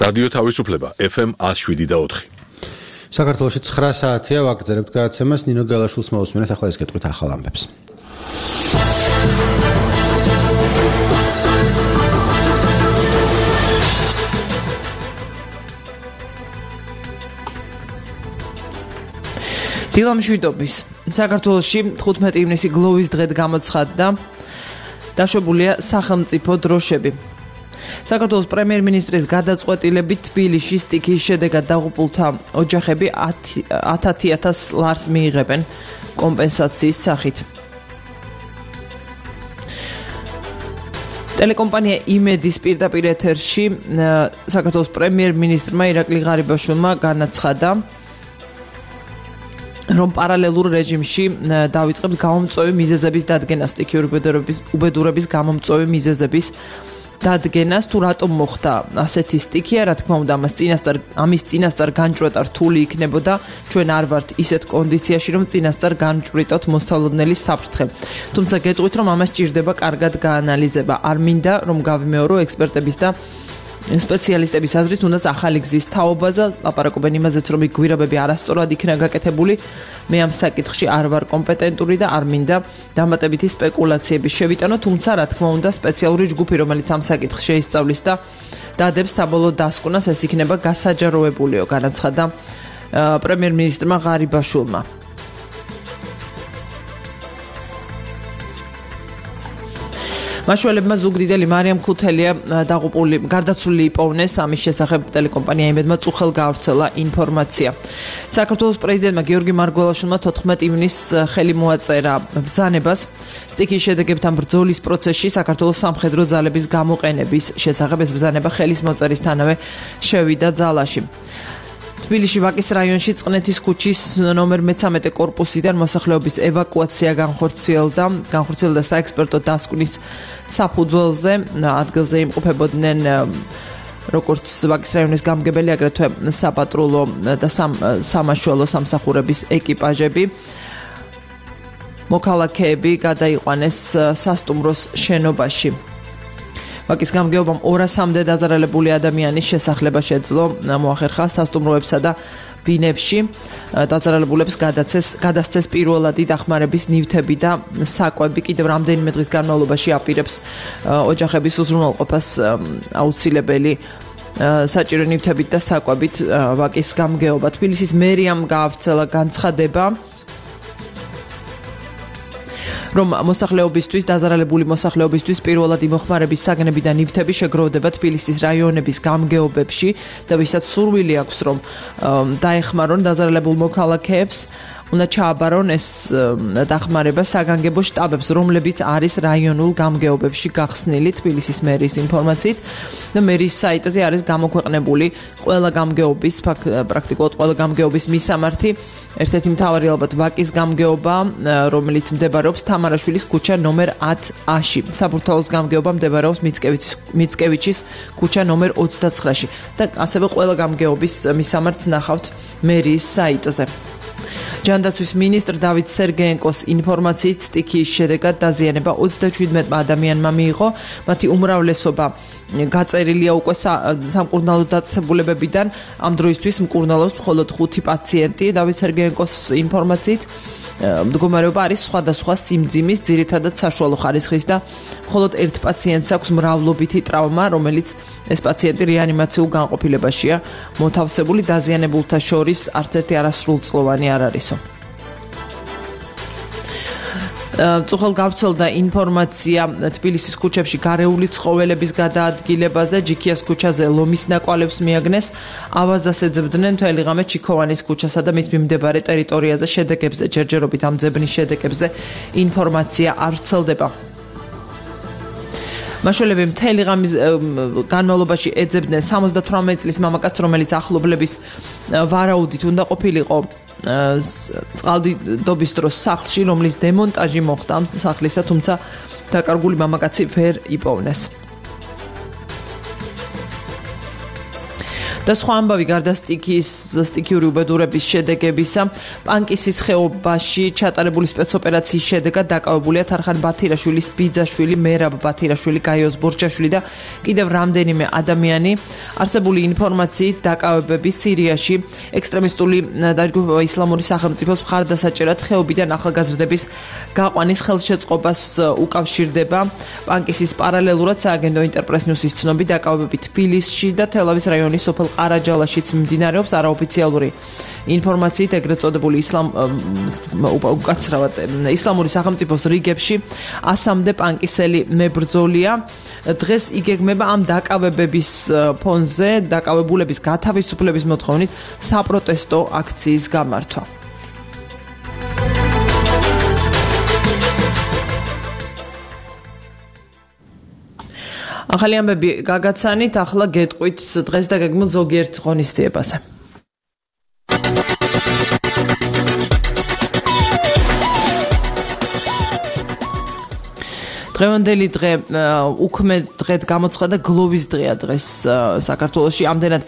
რადიო თავისუფლება FM 107.4. საქართველოში 9 საათია ვაგრძელებთ გადაცემას. ნინო გალაშვილს მოусმინეთ. ახლა ეს გეტყვით ახალ ამბებს. დილამშვიდობის. საქართველოში 15 ივნისი გლოვის დღედ გამოცხადდა დაშვებულია სახელმწიფო დროშები. საქართველოს პრემიერ-მინისტრის გადაწყვეტილებით თბილისში სტიქიის შედეგად დაღუპულთა ოჯახები 10,000 ლარს მიიღებენ კომპენსაციის სახით. ტელეკომპანია იმედის პირდაპირ ეთერში საქართველოს პრემიერ-მინისტრმა ირაკლი ღარიბაშვილმა განაცხადა, რომ პარალელურ რეჟიმში დავიწყებთ გამომწვევი მიზეზების დადგენას, სტიქიური უბედურების გამომწვევი მიზეზების დადგენას, თუ რატომ მოხდა ასეთი სტიქია, რა თქმა უნდა, ამის წინასწარ განჭვრეტა რთული იქნებოდა, ჩვენ არ ვართ ისეთ კონდიციაში, რომ წინასწარ განჭვრიტოთ მოსალოდნელი საფრთხე. თუმცა გეტყვით, რომ ამას ჭირდება კარგად გაანალიზება. არ მინდა, რომ გავიმეორო ექსპერტების და სპეციალისტების აზრით, თუნდაც ახალი გზის თაობაზე ლაპარაკობენ იმაზეც, რომ გვირაბები არასწორად იქნა გაკეთებული. მე ამ საკითხში არ ვარ კომპეტენტური და არ მინდა დამატებითი სპეკულაციები შევიტანო, თუმცა რა თქმა უნდა, სპეციალური ჯგუფი, რომელიც ამ საკითხს შეისწავლის და დადებს საბოლოო დასკვნას, ეს იქნება გასაჯაროებულიო, განაცხადა პრემიერ-მინისტრმა ღარიბაშვილმა. მაშველებმა ზუგდიდელი მარიამ ქუთელია გარდაცვლილი იპოვნეს. ამის შესახებ ტელეკომპანია იმედმა წუხელ გაავრცელა ინფორმაცია. საქართველოს პრეზიდენტმა გიორგი მარგველაშვილმა 14 ივნისს ხელი მოაწერა ბრძანებას სტიქიის შედეგებთან ბრძოლის პროცესში საქართველოს სამხედრო ძალების გამოყენების შესახებ. ეს ბრძანება ხელის მოწერისთანავე შევიდა ძალაში. თბილისში ვაკის რაიონში წყნეთის ქუჩის ნომერ 13 კორპუსიდან მოსახლეობის ევაკუაცია განხორციელდა საექსპერტო დასკვნის საფუძველზე. ადგილზე იმყოფებოდნენ როგორც ვაკის რაიონის გამგებელი, აგრეთვე საპატრულო და სამაშველო სამსახურების ეკიპაჟები. მოქალაქეები გადაიყვანეს სასტუმროს შენობაში. ვაკის გამგეობამ 200-მდე დაზარალებული ადამიანის შესახლება შეძლო. მოახერხა სასტუმროებსა და ბინებში დაზარალებულებს გადასცეს პირველადი დახმარების ნივთები და საკვები. კიდევ რამდენიმე დღის განმავლობაში აპირებს ოჯახების უზრუნველყოფას აუცილებელი საჭირო ნივთებით და საკვებით ვაკის გამგეობა. თბილისის მერიამ გაავრცელა განცხადება, რომ მოსახლეობისთვის, დაზარალებული მოსახლეობისთვის პირველად იმოხმარების საგნები და ნივთები შეგროვდება თბილისის რაიონების გამგეობებში და ვისაც სურვილი აქვს, რომ დაეხმარონ დაზარალებულ მოქალაქეებს, უნდა ჩააბარონ ეს დახმარება საგანგებო შტაბებს, რომლებიც არის რაიონულ გამგეობებში გახსნილი. თბილისის მერის ინფორმაციით და მერის საიტზე არის გამოქვეყნებული ყველა გამგეობის, პრაქტიკულად ყველა გამგეობის მისამართი. ერთ-ერთი მთავარი ალბათ ვაკის გამგეობა, რომელიც მდებარეობს თამარაშვილის ქუჩა ნომერ 10A-ში. საბურთალოს გამგეობა მდებარეობს მიცკევიჩის ქუჩა ნომერ 29-ში და ასევე ყველა გამგეობის მისამართს ნახავთ მერის საიტზე. ჯანდაცვის მინისტრ დავით სერგეენკოს ინფორმაციით სტიქიის შედეგად დაზიანება 37 ადამიანმა მიიღო. მათი უმრავლესობა გაწერილია უკვე სამკურნალო დაწესებულებებიდან. ამ დროისთვის მკურნალობს მხოლოდ 5 პაციენტი. დავით სერგეენკოს ინფორმაციით მდგომარეობა არის სხვადასხვა სიმძიმის, ძირითადად საშუალო ხარისხის და მხოლოდ ერთ პაციენტს აქვს მრავლობითი ტრავმა, რომელიც ეს პაციენტი რეანიმაციულ განყოფილებაშია მოთავსებული. დაზიანებულთა შორის არც ერთი არასრულწლოვანი არ არისო. წუხელ გავრცელდა ინფორმაცია თბილისის ქუჩებში გარეული ცხოველების გადაადგილებაზე. ჯიქიას ქუჩაზე ლომის ნაკვალევს მიაგნეს. ავაზას ეძებდნენ მთელი ღამე ჩიქოვანის ქუჩასა და მის მიმდებარე ტერიტორიაზე. შედეგებზე, ჯერჯერობით ამ ძებნის შედეგებზე ინფორმაცია არ ვრცელდება. მაშველები მთელი ღამის განმავლობაში ეძებდნენ 78 წლის მამაკაცს, რომელიც ახლობლების ვარაუდით უნდა ყოფილიყო წყალდიდობის დროს სახლში, რომლის დემონტაჟი მოხდა ამ სახლისა, თუმცა დაკარგული მამაკაცი ვერ იპოვნეს. და სხვა ამბავი გარდა სტიქიური უბედურების შედეგებისა, პანკისის ხეობაში ჩატარებული სპეცოპერაციის შედეგად დაკავებულია თარხან ბათირაშვილის ბიძაშვილი, მერაბ ბათირაშვილი, გაიოს ბორჯაშვილი და კიდევ რამდენიმე ადამიანი. არსებული ინფორმაციით დაკავებები სირიაში ექსტრემისტული დაჯგუფება ისლამური სახელმწიფოს მხარდასაჭერად ხეობიდან ახალგაზრდების გაყვანის ხელშეწყობას უკავშირდება. პანკისის პარალელურად სააგენტო ინტერპრეს ნიუსის ცნობით დაკავებები თბილისში და თელავის რაიონის სოფელ ყარაჯალაშიც მიმდინარეობს. არაოფიციალური ინფორმაციით ეგრეთ წოდებული ისლამური სახელმწიფოს რიგებში 100-მდე პანკისელი მებრძოლია. დღეს იგეგმება ამ დაკავებების ფონზე დაკავებულების გათავისუფლების მოთხოვნით საპროტესტო აქციის გამართვა. ახალი ამბები გაგაცანით, ახლა გეტყვით დღეს დაგეგმილ ზოგიერთ ღონისძიებაზე. დღევანდელი დღე უქმე დღედ გამოცხადა გლოვის დღეა დღეს საქართველოში. ამდენად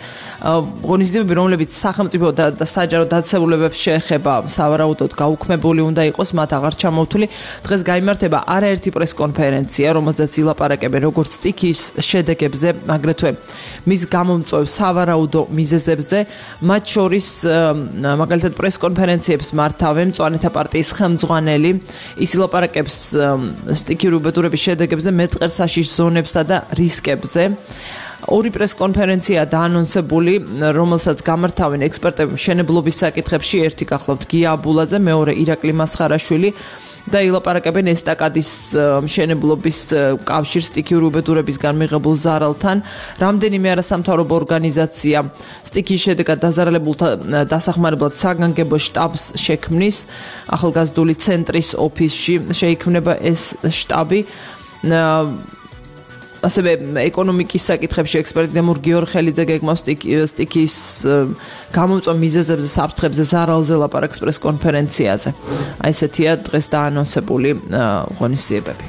ღონისძიებები, რომლებიც სახელმწიფო და საჯარო დაწესებულებებს შეეხება, სავარაუდოდ გაუქმებული უნდა იყოს, მათ აღარ ჩამოვთვლი. დღეს გაიმართება არაერთი პრესკონფერენცია, რომელზეც ილაპარაკებენ როგორც სტიქიის შედეგებზე, აგრეთვე მის გამომწვევ სავარაუდო მიზეზებზე. მათ შორის მაგალითად პრესკონფერენციებს მართავენ მწვანეთა პარტიის ხელმძღვანელი. ის ილაპარაკებს სტიქიურ უბედურების შედეგებზე, მეწყერსაშიშ ზონებსა და რისკებზე. ორი პრესკონფერენცია დაანონსებული, რომელსაც გამართავენ ექსპერტები მშენებლობის საკითხებში, ერთი გახლავთ გია აბულაძე, მეორე ირაკლი მასხარაშვილი და ილაპარაკებენ ესტაკადის მშენებლობის კავშირს სტიქიურ უბედურებისგან მიღებულ ზარალთან. რამდენიმე არასამთავრობო ორგანიზაცია სტიქიის შედეგად დაზარალებულთა დასახმარებლად საგანგებო შტაბს შექმნის. ახალგაზრდული ცენტრის ოფისში შეიქმნება ეს შტაბი. ასევე ეკონომიკის საკითხებში ექსპერტი დემურ გიორხელიძე გეგმავს სტიქიის გამომწვევ მიზეზებზე, საფრთხებზე, ზარალზე ლაპარაკს პრესკონფერენციაზე. აი ესეთია დღეს დაანონსებული ღონისძიებები.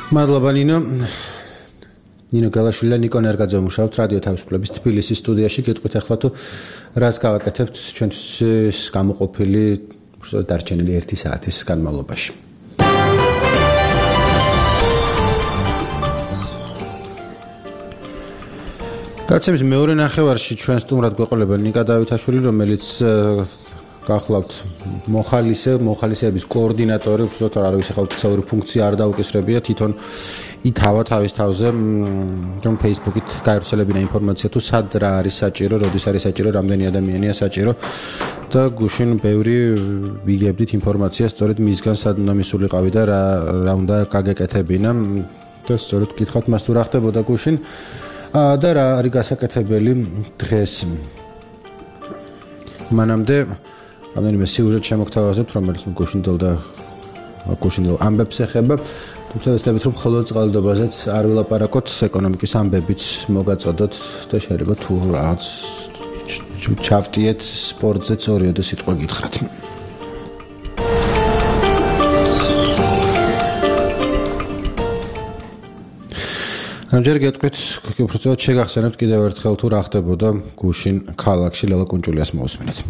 მადლობა ნინო გალაშვილი და ნიკო ნერგაძე მუშაობთ რადიო თავისუფლების თბილისის სტუდიაში. გეტყვით ახლა თუ რას გავაკეთებთ ჩვენთვის გამოყოფილი დარჩენილი 1 საათის განმავლობაში. გაცემის მეორე ნახევარში ჩვენ სტუმრად გვეყოლება ნიკა დავითაშვილი, რომელიც გახლავთ მოხალისეების კოორდინატორი, უბრალოდ არ არის ოფიციალური ფუნქცია არ დაუკისრებია, თვითონ ითავა თავის თავზე რომ Facebook-ით გავრცელებინა ინფორმაცია თუ სად რა არის საჭირო, როდის არის საჭირო, რამდენი ადამიანია საჭირო და გუშინ ბევრი ვიგებდით ინფორმაციას სწორედ მისგან სად უნდა მისულიყავი და რა უნდა გაგეკეთებინა და სწორედ გითხავთ მას თუ რა ხდებოდა გუშინ და რა არის გასაკეთებელი დღეს. მანამდე რამდენიმე სიუჟეტ შემოგთავაზებთ, რომელიც გუშინდელ ამბებს ეხება. თუმცა ვეცდებით რომ მხოლოდ წყალდობაზეც არ ვილაპარაკოთ, ეკონომიკის ამბებიც მოგაწოდოთ და შეიძლება თუ რაღაც ჩავტიეთ სპორტზე წორიოდე სიტყვა გითხრათ. ამჯერ გეტყვით, უბრალოდ შეგახსენებთ კიდევ ერთხელ თუ რა ხდებოდა გუშინ ქალაქში ლელა კუნჭულიას მოусმინეთ.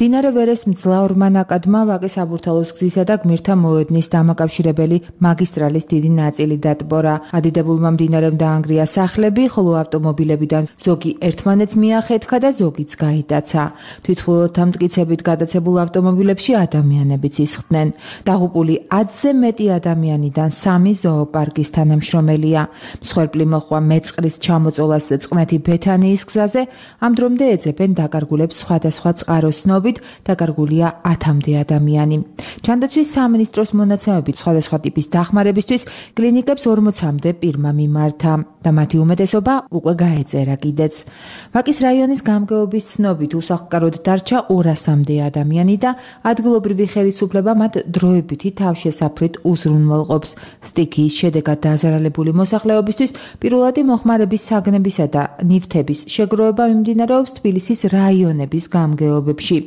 მდინარე ვერეს მძლავრმა ნაკადმა ვაკის აბურთალოს გზისა და გმირთა მოედნის დამაკავშირებელი მაგისტრალის დიდი ნაწილი დატბორა. ადიდებულმა მდინარემ დაანგრია სახლები, ხოლო ავტომობილებიდან ზოგი ერთმანეთს მიახეთქა და ზოგიც გაიტაცა. თვითმფრინავთა მტკიცებით გადაცებულ ავტომობილებში ადამიანებიც ისხდნენ. დაღუპული 10-ზე მეტი ადამიანიდან 3 ზოოპარკის თანამშრომელია. მსხვერპლი მოხვა მეწყრის ჩამოწოლას წყნეთი ბეთანიის გზაზე, ამ დრომდე ეძებენ დაკარგულებს სხვადასხვა წყაროს ცნობით, დაკარგულია 10-მდე ადამიანი. ჩანდაცვის სამინისტროს მონაცემებით სხვადასხვა ტიპის დახმარებისთვის კლინიკებს 40-მდე პირმა მიმართა და მათი უმეტესობა უკვე გაეწერა კიდეც. ვაკის რაიონის გამგეობის ცნობით უსახლკაროდ დარჩა 200-მდე ადამიანი და ადგილობრივი ხელისუფლება მათ დროებითი თავშესაფრით უზრუნველყოფს. სტიქიის შედეგად დაზარალებული მოსახლეობისთვის პირველადი მოხმარების საგნებისა და ნივთების შეგროვება მიმდინარეობს თბილისის რაიონების გამგეობებში.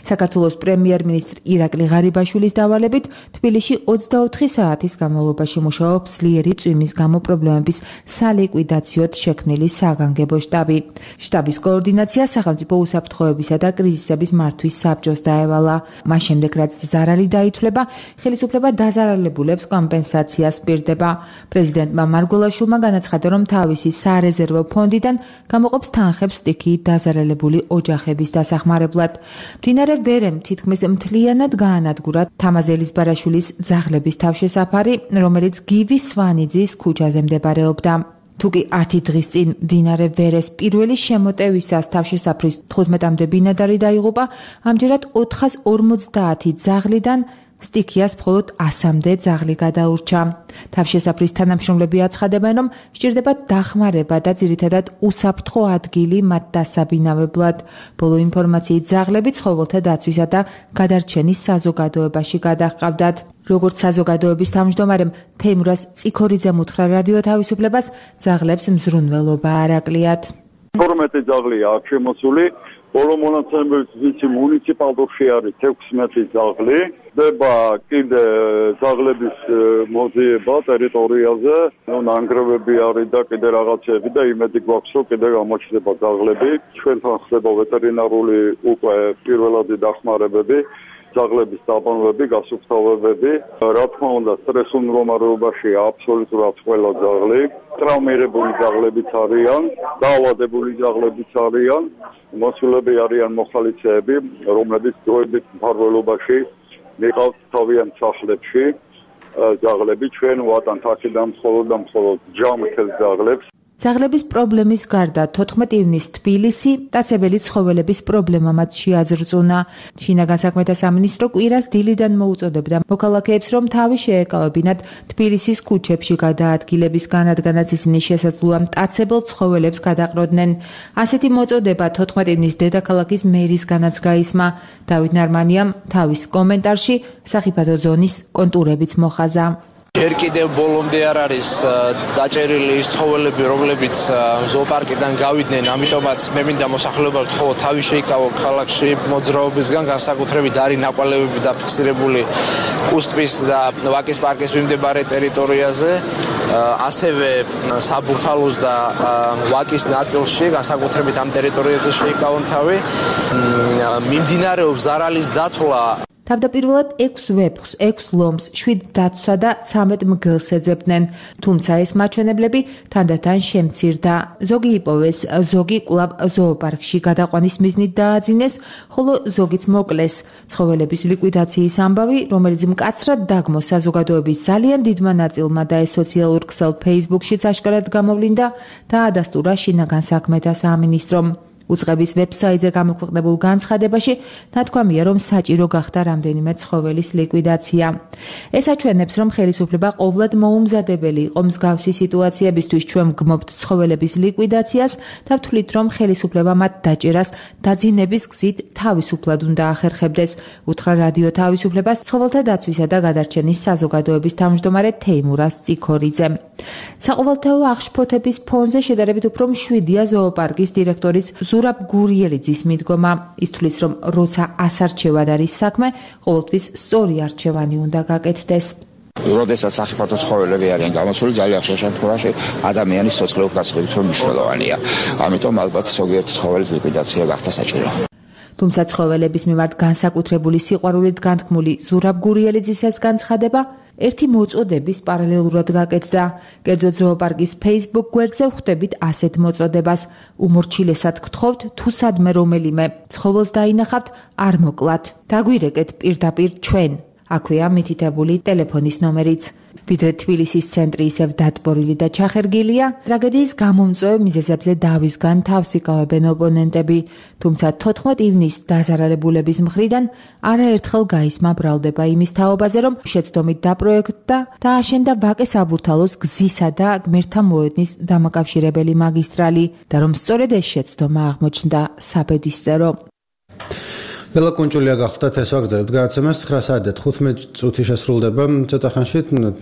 საქართველოს პრემიერ-მინისტრ ირაკლი ღარიბაშვილის დავალებით თბილისში 24 საათის განმავლობაში მუშაობს ძლიერი წვიმის გამო პრობლემების სალიკვიდაციოდ შექმნილი საგანგებო შტაბი. შტაბის координация სახელმწიფო უსაფრთხოებისა და კრიზისების მართვის საბჭოს დაევალა. მას შემდეგ, რაც ზარალი დაითვლება, ხელისუფლება დაზარალებულებს კომპენსაციას პირდება. პრეზიდენტმა მარგველაშვილმა განაცხადა, რომ თავისი სარეზერვო ფონდიდან გამოყოფს თანხებს სტიქიით დაზარალებული ოჯახების დასახმარებლად. მდინარე ვერემ თითქმის მთლიანად გაანადგურა თამაზ ელიზბარაშვილის ძაღლების თავშესაფარი, რომელიც გივის სვანიძის ქუჩაზე მდებარეობდა. თუკი 10 დღის წინ მდინარე ვერეს პირველი შემოტევისას თავშესაფრის 15-მდე ბინადარი დაიღუპა, ამჯერად 450 ძაღლიდან სტიქიას მხოლოდ 100-მდე ძაღლი გადაურჩა. თავშესაფრის თანამშრომლები აცხადებენ, რომ სჭირდება დახმარება და ძირითადად უსაფრთხო ადგილი მათ დასაბინავებლად. ბოლო ინფორმაციით ძაღლები ცხოველთა დაცვისა და გადარჩენის საზოგადოებაში გადაჰყავდათ. როგორც საზოგადოების თავმჯდომარემ თეიმურაზ წიქორიძემ უთხრა რადიო თავისუფლებას, ძაღლებს მზრუნველობა არ აკლიათ. 12 ძაღლია აქ შემოსული. ბოლო მონაცემებით მუნიციპალურში არის 16 ძაღლი. ხდება კიდე ძაღლების მოძიება ტერიტორიაზე, ნანგრევები არის და კიდე რაღაცები და იმედი გვაქვს, რომ კიდე გამოჩნდება ძაღლები. ჩვენთან ხდება ვეტერინარული უკვე პირველადი დახმარებები, ძაღლების დაბანვები, გასუფთავებები. რა თქმა უნდა, სტრესულ მდგომარეობაშია აბსოლუტურად ყველა ძაღლი. ტრავმირებული ძაღლებიც არიან, დაავადებული ძაღლებიც არიან. მოსულები არიან მოხალისეები, რომლებიც დროებით მფარველობაში მიყავთ თავიანთ სახლებში. ძაღლები ჩვენ ვატანთ აქედან მხოლოდ ჯამრთელ ძაღლებს. ძაღლების პრობლემის გარდა 14 ივნისს თბილისი მტაცებელი ცხოველების პრობლემამაც შეაძრწუნა. შინაგან საქმეთა სამინისტრო კვირას დილიდან მოუწოდებდა მოქალაქეებს, რომ თავი შეეკავებინათ თბილისის ქუჩებში გადაადგილების განადგანაც ისინი შესაძლოა მტაცებელ ცხოველებს გადაყროდნენ. ასეთი მოწოდება 14 ივნისს დედაქალაქის მერისგანაც გაისმა. დავით ნარმანიამ თავის კომენტარში სახიფათო ზონის კონტურებიც მოხაზა. ჯერ კიდევ ბოლომდე არ არის დაჭერილი ის ცხოველები, რომლებიც ზოოპარკიდან გავიდნენ, ამიტომაც მე მინდა მოსახლეობამ ხო თავი შეიკავო ქალაქში მოძრაობისგან, განსაკუთრებით არის ნაკვალევები დაფიქსირებული კუსტრის და ვაკის პარკის მიმდებარე ტერიტორიაზე, ასევე საბურთალოს და ვაკის ნაწილში, განსაკუთრებით ამ ტერიტორიაზე შეიკავონ თავი. მიმდინარეობს ზარალის დათვლა. თავდაპირველად 6 ვეფხს, 6 ლომს, 7 დაცვსა და 13 მგელს ეძებდნენ, თუმცა ეს მაჩვენებლები თანდათან შემცირდა. ზოგი იპოვეს, ზოგი კვლავ ზოოპარკში გადაყვანის მიზნით დააძინეს, ხოლო ზოგიც მოკლეს. ცხოველების ლიკვიდაციის ამბავი, რომელიც მკაცრად დაგმოს საზოგადოების ძალიან დიდმა ნაწილმა და ეს სოციალურ ქსელ Facebook-შიც აშკარად გამოვლინდა, დაადასტურა შინაგან საქმეთა სამინისტრომ. უწყების ვებსაიტზე გამოქვეყნებულ განცხადებაში ნათქვამია, რომ საჭირო გახდა რამდენიმე ცხოველის ლიკვიდაცია. ეს აჩვენებს, რომ ხელისუფლება ყოვლად მოუმზადებელი იყო მსგავსი სიტუაციებისთვის. ჩვენ ვგმობთ ცხოველების ლიკვიდაციას და ვთვლით, რომ ხელისუფლება მათ დაჭერას დაძინების გზით თავისუფლად უნდა ახერხებდეს, უთხრა რადიო თავისუფლებას ცხოველთა დაცვისა და გადარჩენის საზოგადოების თავმჯდომარე თეიმურაზ წიქორიძემ. საყოველთაო აღშფოთების ფონზე შედარებით უფრო მშვიდია ზოოპარკის დირექტორის ზურაბ გურიელიძის მიდგომა. ის თვლის, რომ როცა ასარჩევად არის საქმე, ყოველთვის სწორი არჩევანი უნდა გაკეთდეს. როდესაც სახიფათო ცხოველები არიან გამოსული, ძალიან ხშირ შემთხვევაში ადამიანის სოციალურ გასწრებით რომ მნიშვნელოვანია. ამიტომ ალბათ ზოგიერთ ცხოველის ლიკვიდაცია გახდა საჭირო. თუმცა ცხოველების მიმართ განსაკუთრებული სიყვარულით განთქმული ზურაბ გურიელიძის ეს განცხადება ერთი მოწოდების პარალელურად გაკეთდა. კერძოდ ზოოპარკის Facebook გვერდზე ვხვდებით ასეთ მოწოდებას. უმორჩილესად გთხოვთ, თუ სადმე რომელიმე ცხოველს დაინახავთ, არ მოკლათ. დაგვირეკეთ პირდაპირ ჩვენ. აქვეა მითითებული ტელეფონის ნომერიც. ვიდრე თბილისის ცენტრი ისევ დატბორილი და ჩახერგილია, ტრაგედიის გამომწვევ მიზეზებზე დავისგან თავს იკავებენ ოპონენტები, თუმცა 14 ივნისს დაზარალებულების მხრიდან არაერთხელ გაისმა ბრალდება იმის თაობაზე, რომ შეცდომით დაპროექტდა და აშენდა ვაკეს აბურთალოს გზისა და გმირთა მოედნის დამაკავშირებელი მაგისტრალი და რომ სწორედ ეს შეცდომა აღმოჩნდა საბედისწერო. ლელა კუნჭულია გახლდათ ეს ვაგზავნებთ გადაცემას 9 საათი და 15 წუთი შესრულდება. ცოტა ხანში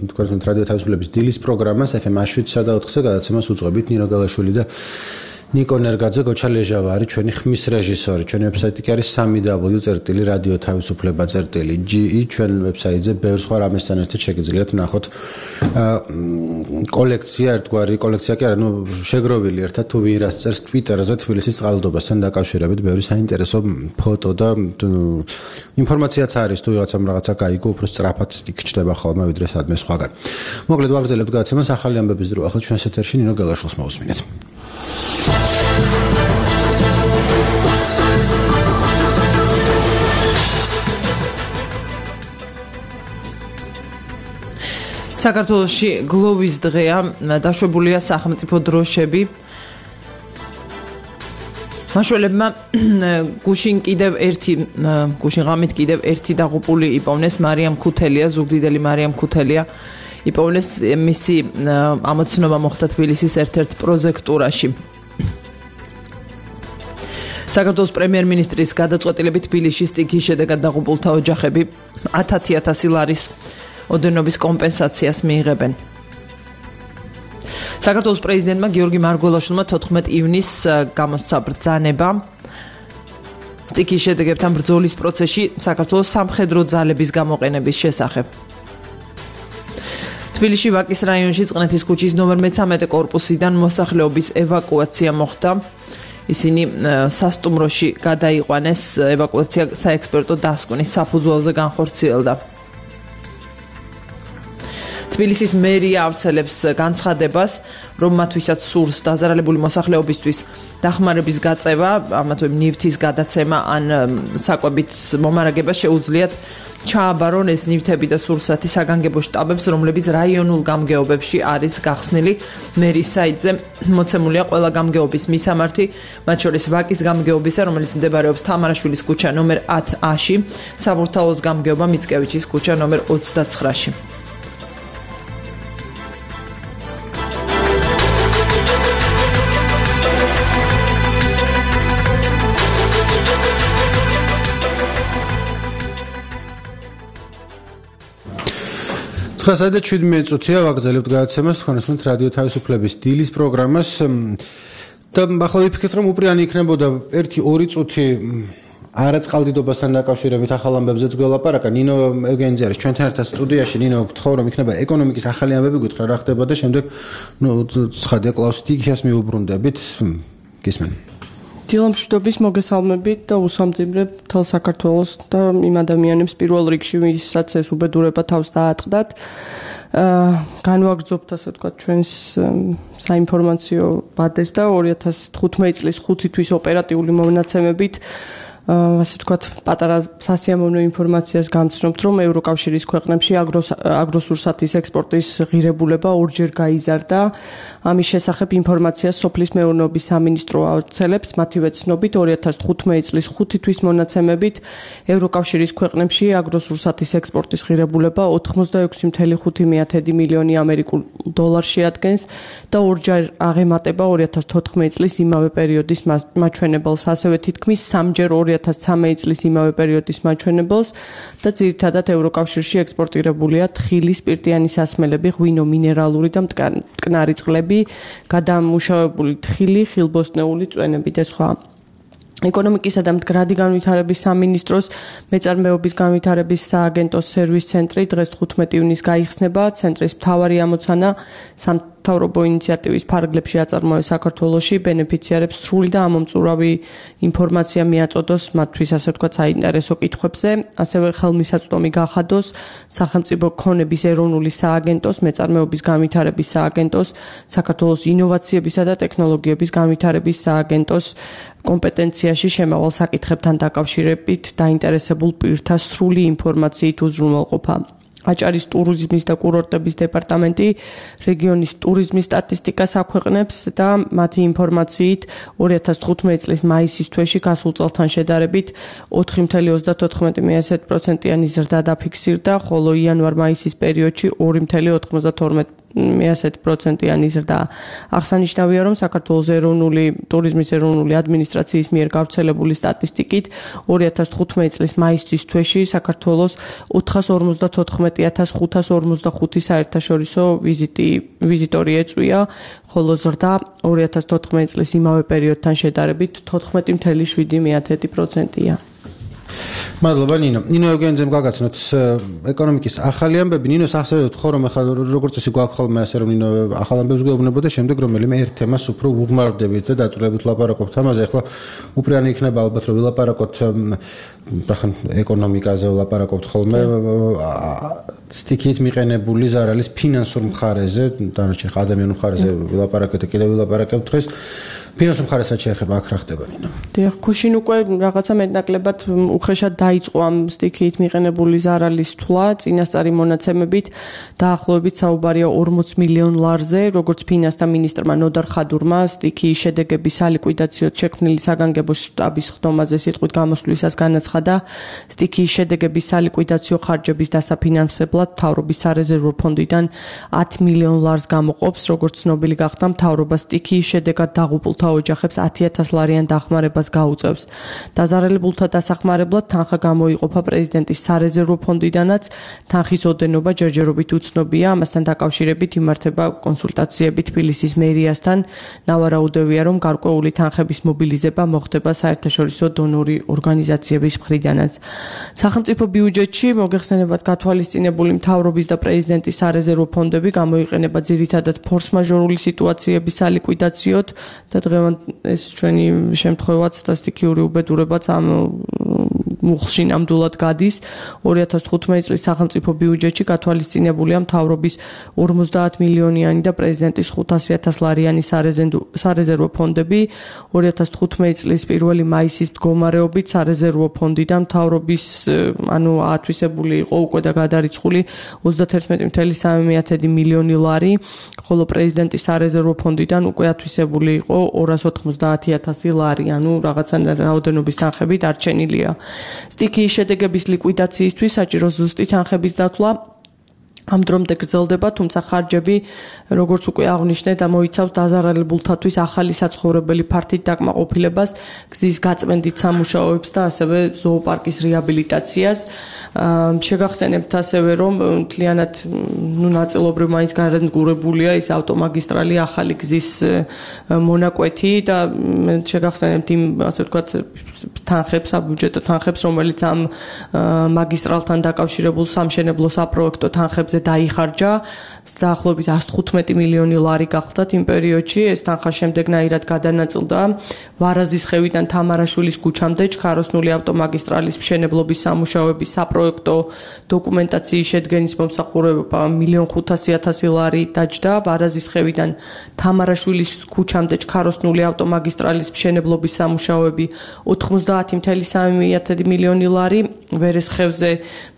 თქვენ რადიო თავისუფლების დილის პროგრამას FM 7-სა და 4-ზე გადაცემას უძღვებით ნინო გალაშვილი და ნიკო ნერგაძე, გოჩა ლეჟავა არის ჩვენი ხმის რეჟისორი. ჩვენი ვებსაიტი კი არის www.radio-თავისუფლება.ge. ჩვენ ვებსაიტზე ბევრ სხვა რამესთან ერთად შეგიძლიათ ნახოთ კოლექცია, ერთგვარი კოლექცია კი არა, შეგროვილი ერთად თუ ვინ რას წერს Twitter-ზე თბილისის წყალდიდობასთან დაკავშირებით ბევრი საინტერესო ფოტო და ინფორმაციაც არის თუ რაღაცა გაიგო, უფრო სწრაფად იქ-ჩდება ხოლმე ვიდრე სადმე სხვაგან. მოკლედ ვაგრძელებთ გადაცემას ახალი ამბების დრო. ახლა ჩვენს ეთერში ნინო გელაშვილს მოვუსმინეთ. საქართველოში გლოვის დღეა, დაშვებულია სახელმწიფო დროშები. მაშველებმა გუშინ ღამით კიდევ ერთი დაღუპული იპოვნეს მარიამ ქუთელია, ზუგდიდელი მარიამ ქუთელია. იპოვნეს მისი ამოცნობა მოხდა თბილისის ერთ-ერთ პროზექტურაში. საქართველოს პრემიერ-მინისტრის გადაწყვეტილებით თბილისში სტიქიის შედეგად დაღუპულთა ოჯახები 10,000 ლარის ოდენობის კომპენსაციას მიიღებენ. საქართველოს პრეზიდენტმა გიორგი მარგველაშვილმა 14 ივნისს გამოსცა ბრძანება სტიქიის შედეგებთან ბრძოლის პროცესში საქართველოს სამხედრო ძალების გამოყენების შესახებ. თბილისში ვაკის რაიონში წყნეთის ქუჩის ნომერ 13 კორპუსიდან მოსახლეობის ევაკუაცია მოხდა. ისინი სასტუმროში გადაიყვანეს, ევაკუაცია საექსპერტო დასკვნის საფუძველზე განხორციელდა. თბილისის მერია ავრცელებს განცხადებას, რომ მათ ვისაც სურს დაზარალებული მოსახლეობისთვის დახმარების გაწევა, ამათვე ნივთის გადაცემა ან საკვებით მომარაგება შეუძლიათ ჩააბარონ ეს ნივთები და სურსათი საგანგებო შტაბებს, რომლებიც რაიონულ გამგეობებში არის გახსნილი. მერის საიტზე მოცემულია ყველა გამგეობის მისამართი, მათ შორის ვაკის გამგეობისა, რომელიც მდებარეობს თამარაშვილის ქუჩა ნომერ 10A-ში, საბურთალოს გამგეობა მიცკევიჩის ქუჩა ნომერ 29-ში. და 17 წუთია ვაგრძელებთ გადაცემას თქვენ უსმენთ რადიო თავისუფლების დილის პროგრამას და ახლა ვიფიქრეთ რომ უპრიანი იქნებოდა 1-2 წუთი არაწყალდიდობასთან დაკავშირებით ახალ ამბებზეც გველაპარაკა. ნინო ევგენიძე არის ჩვენთან ერთად სტუდიაში. ნინო, გთხოვ რომ იქნება ეკონომიკის ახალი ამბები გითხრა რა ხდება და შემდეგ ცხადია კლაუს სტიქიას მიუბრუნდებით. გისმენ. დილამშვიდობის მოგესალმებით და უსამძიმრებ მთელ საქართველოს და იმ ადამიანებს პირველ რიგში, ვისაც ეს უბედურება თავს დაატყდათ. განვაგრძობთ, ასე ვთქვათ, ჩვენს საინფორმაციო ბადეს და 2015 წლის 5 თვის ოპერატიული მონაცემებით ასე ვთქვათ, პატარა სასიამოვნო ინფორმაციას გამცნობთ, რომ ევროკავშირის ქვეყნებში აგროსურსათის ექსპორტის ღირებულება ორჯერ გაიზარდა. ამის შესახებ ინფორმაციას სოფლის მეურნეობის სამინისტრო ავრცელებს. მათივე ცნობით 2015 წლის 5 თვის მონაცემებით ევროკავშირის ქვეყნებში აგროსურსათის ექსპორტის ღირებულება 86.5 მილიონი ამერიკულ დოლარს შეადგენს და ორჯერ აღემატება 2014 წლის იმავე პერიოდის მაჩვენებელს, ასევე თითქმის 3ჯერ 2013 წლის იმავე პერიოდის მაჩვენებელს და ძირითადად ევროკავშირში ექსპორტირებულია თხილი, სპირტიანი სასმელები, ღვინო, მინერალური და მტკნარი წყლები, გადამუშავებული თხილი, ხილბოსტნეული წვენები და სხვა. ეკონომიკისა და მდგრადი განვითარების სამინისტროს მეწარმეობის განვითარების სააგენტოს სერვის ცენტრი დღეს 15 ივნისს გაიხსნება. ცენტრის მთავარი ამოცანა სამთავრობო ინიციატივის ფარგლებში აწარმოეს საქართველოში, ბენეფიციარებს სრული და ამომწურავი ინფორმაცია მიაწოდოს მათთვის, ასე ვთქვათ, საინტერესო კითხვებზე, ასევე ხელმისაწვდომი გახადოს სახელმწიფო ქონების ეროვნული სააგენტოს, მეწარმეობის განვითარების სააგენტოს, საქართველოს ინოვაციებისა და ტექნოლოგიების განვითარების სააგენტოს კომპეტენციაში შემავალ საკითხებთან დაკავშირებით დაინტერესებულ პირთა სრული ინფორმაციით უზრუნველყოფა. აჭარის ტურიზმის და კურორტების დეპარტამენტი რეგიონის ტურიზმის სტატისტიკას აქვეყნებს და მათი ინფორმაციით 2015 წლის მაისის თვეში გასულ წელთან შედარებით 4.34%-იანი ზრდა დაფიქსირდა, ხოლო იანვარ-მაისის პერიოდში 2.92 100%-იანი ზრდა. აღსანიშნავია, რომ საქართველოს ეროვნული ტურიზმის ეროვნული ადმინისტრაციის მიერ გავრცელებული სტატისტიკით 2015 წლის მაისის თვეში საქართველოს 454,545 საერთაშორისო ვიზიტორი ეწვია, ხოლო ზრდა 2014 წლის იმავე პერიოდთან შედარებით 14,7%-ია. მადლობა ნინო. ნინო ევგენიძემ გაგაცნოთ ეკონომიკის ახალი ამბები. ნინოს ასევე ვთქო, რომ ახლა როგორც წესი გვაქვს ხოლმე ასე რომ ნინო ახალ ამბებს გვეუბნებოდა, შემდეგ რომელიმე ერთ თემას უფრო უღმარდებით და დაწვრილებით ვლაპარაკობთ ამაზე. ახლა უპირანი იქნება ალბათ რომ ვილაპარაკოთ რახან ეკონომიკაზე ვლაპარაკობთ ხოლმე სტიქით მიყენებული ზარალის ფინანსურ მხარეზე, დანარჩენ ადამიანურ მხარეზე ვილაპარაკეთ და კიდევ ვილაპარაკებთ დღეს. ფინანსურ მხარესაც შეეხება აქ რა ხდება ნინო? დიახ, ქუშინ უკვე რაღაცა მეტნაკლებად უხეშად დაიწყო ამ სტიქით მიყენებული ზარალის თვლა, წინასწარი მონაცემებით დაახლოებით საუბარია 40 მილიონ ლარზე, როგორც ფინანსთა მინისტრმა ნოდარ ხადურმა სტიქის შედეგების სალიკვიდაციოდ შექმნილი საგანგებო შტაბის ხდომაზე სიტყვით გამოსვლისას განაცხადა, სტიქის შედეგების სალიკვიდაციო ხარჯების დასაფინანსებლად მთავრობის სარეზერვო ფონდიდან 10 მილიონ ლარს გამოყოფს, როგორც ცნობილი გახდა, მთავრობა სტიქის შედეგად დაღუპულ ოჯახებს 10,000 ლარიან დახმარებას გაუწევს. დაზარალებულთა დასახმარებლად თანხა გამოიყოფა პრეზიდენტის სარეზერვო ფონდიდანაც, თანხის ოდენობა ჯერჯერობით უცნობია, ამასთან დაკავშირებით იმართება კონსულტაციები თბილისის მერიასთან. ნავარაუდევია, რომ გარკვეული თანხების მობილიზება მოხდება საერთაშორისო დონორი ორგანიზაციების მხრიდანაც. სახელმწიფო ბიუჯეტში მოგეხსენებათ გათვალისწინებული მთავრობის და პრეზიდენტის სარეზერვო ფონდები გამოიყენება ძირითადად ფორს-მაჟორული სიტუაციების სალიკვიდაციოდ და ეს ჩვენი შემთხვევაც და სტიქიური უბედურებაც ამ მუხლში ნამდვილად გადის. 2015 წლის სახელმწიფო ბიუჯეტში გათვალისწინებულია მთავრობის 50 მილიონიანი და პრეზიდენტის 500,000 ლარიანი სარეზერვო ფონდები. 2015 წლის 1 მაისის მდგომარეობით სარეზერვო ფონდიდან მთავრობის ათვისებული იყო უკვე და გადარიცხული 31,3 მილიონი ლარი, ხოლო პრეზიდენტის სარეზერვო ფონდიდან უკვე ათვისებული იყო 290,000 ლარი, რაღაცა რაოდენობის თანხები დარჩენილია. სტიქის შედეგების ლიკვიდაციისთვის საჭირო ზუსტი თანხების დათვლა ამ დრომდე გრძელდება, თუმცა ხარჯები, როგორც უკვე აღნიშნე, მოიცავს დაზარალებულთათვის ახალი საცხოვრებელი ფართით დაკმაყოფილებას, გზის გაწმენდით სამუშაოებს და ასევე ზოოპარკის რეაბილიტაციას. შეგახსენებთ ასევე, რომ მთლიანად ნაწილობრივ მაინც განადგურებულია ის ავტომაგისტრალი ახალი გზის მონაკვეთი და შეგახსენებთ იმ, ასე ვთქვათ, თანხებს, საბიუჯეტო თანხებს, რომელიც ამ მაგისტრალთან დაკავშირებულ სამშენებლო საპროექტო თანხებს დაიხარჯა, დაახლოებით 115 მილიონი ლარი გახდათ იმ პერიოდში. ეს თანხა შემდეგნაირად გადანაწილდა ვარაზის ხევიდან თამარაშვილის ქუჩამდე ჩქაროსნული ავტომაგისტრალის მშენებლობის სამუშაოების საპროექტო დოკუმენტაციის შედგენის მომსახურება 1,500,000 ლარი დაჯდა. ვარაზის ხევიდან თამარაშვილის ქუჩამდე ჩქაროსნული ავტომაგისტრალის მშენებლობის სამუშაოები 90,3 მილიონი ლარი. ვერესხევზე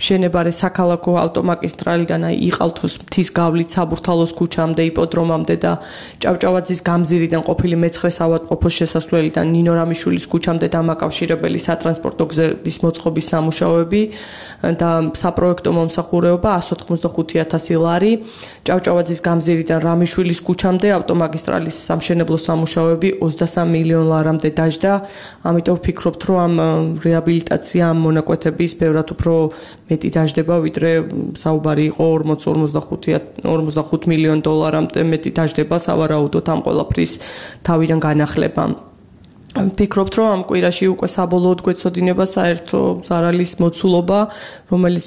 მშენებარე საქალაქო ავტომაგისტრალიდან იყალთოს მთის გავლით საბურთალოს ქუჩამდე, იპოდრომამდე და ჭავჭავაძის გამზირიდან ყოფილი მეცხრე საავადმყოფოს შესასვლელიდან ნინო რამიშვილის ქუჩამდე დამაკავშირებელი სატრანსპორტო გზების მოწყობის სამუშაოები და საპროექტო მომსახურება 185,000 ლარი. ჭავჭავაძის გამზირიდან რამიშვილის ქუჩამდე ავტომაგისტრალის სამშენებლო სამუშაოები 23 მილიონ ლარამდე დაჯდა. ამიტომ ვფიქრობთ, რომ ამ რეაბილიტაცია ამ მონაკვეთების ბევრად უფრო მეტი დაჯდება, ვიდრე საუბარი იყო 45 მილიონ დოლარამდე მეტი დაჯდება სავარაუდოდ ამ ყველაფრის თავიდან განახლებამ. ვფიქრობთ, რომ ამ კვირაში უკვე საბოლოოდ გვეცოდინება საერთო ზარალის მოცულობა, რომელიც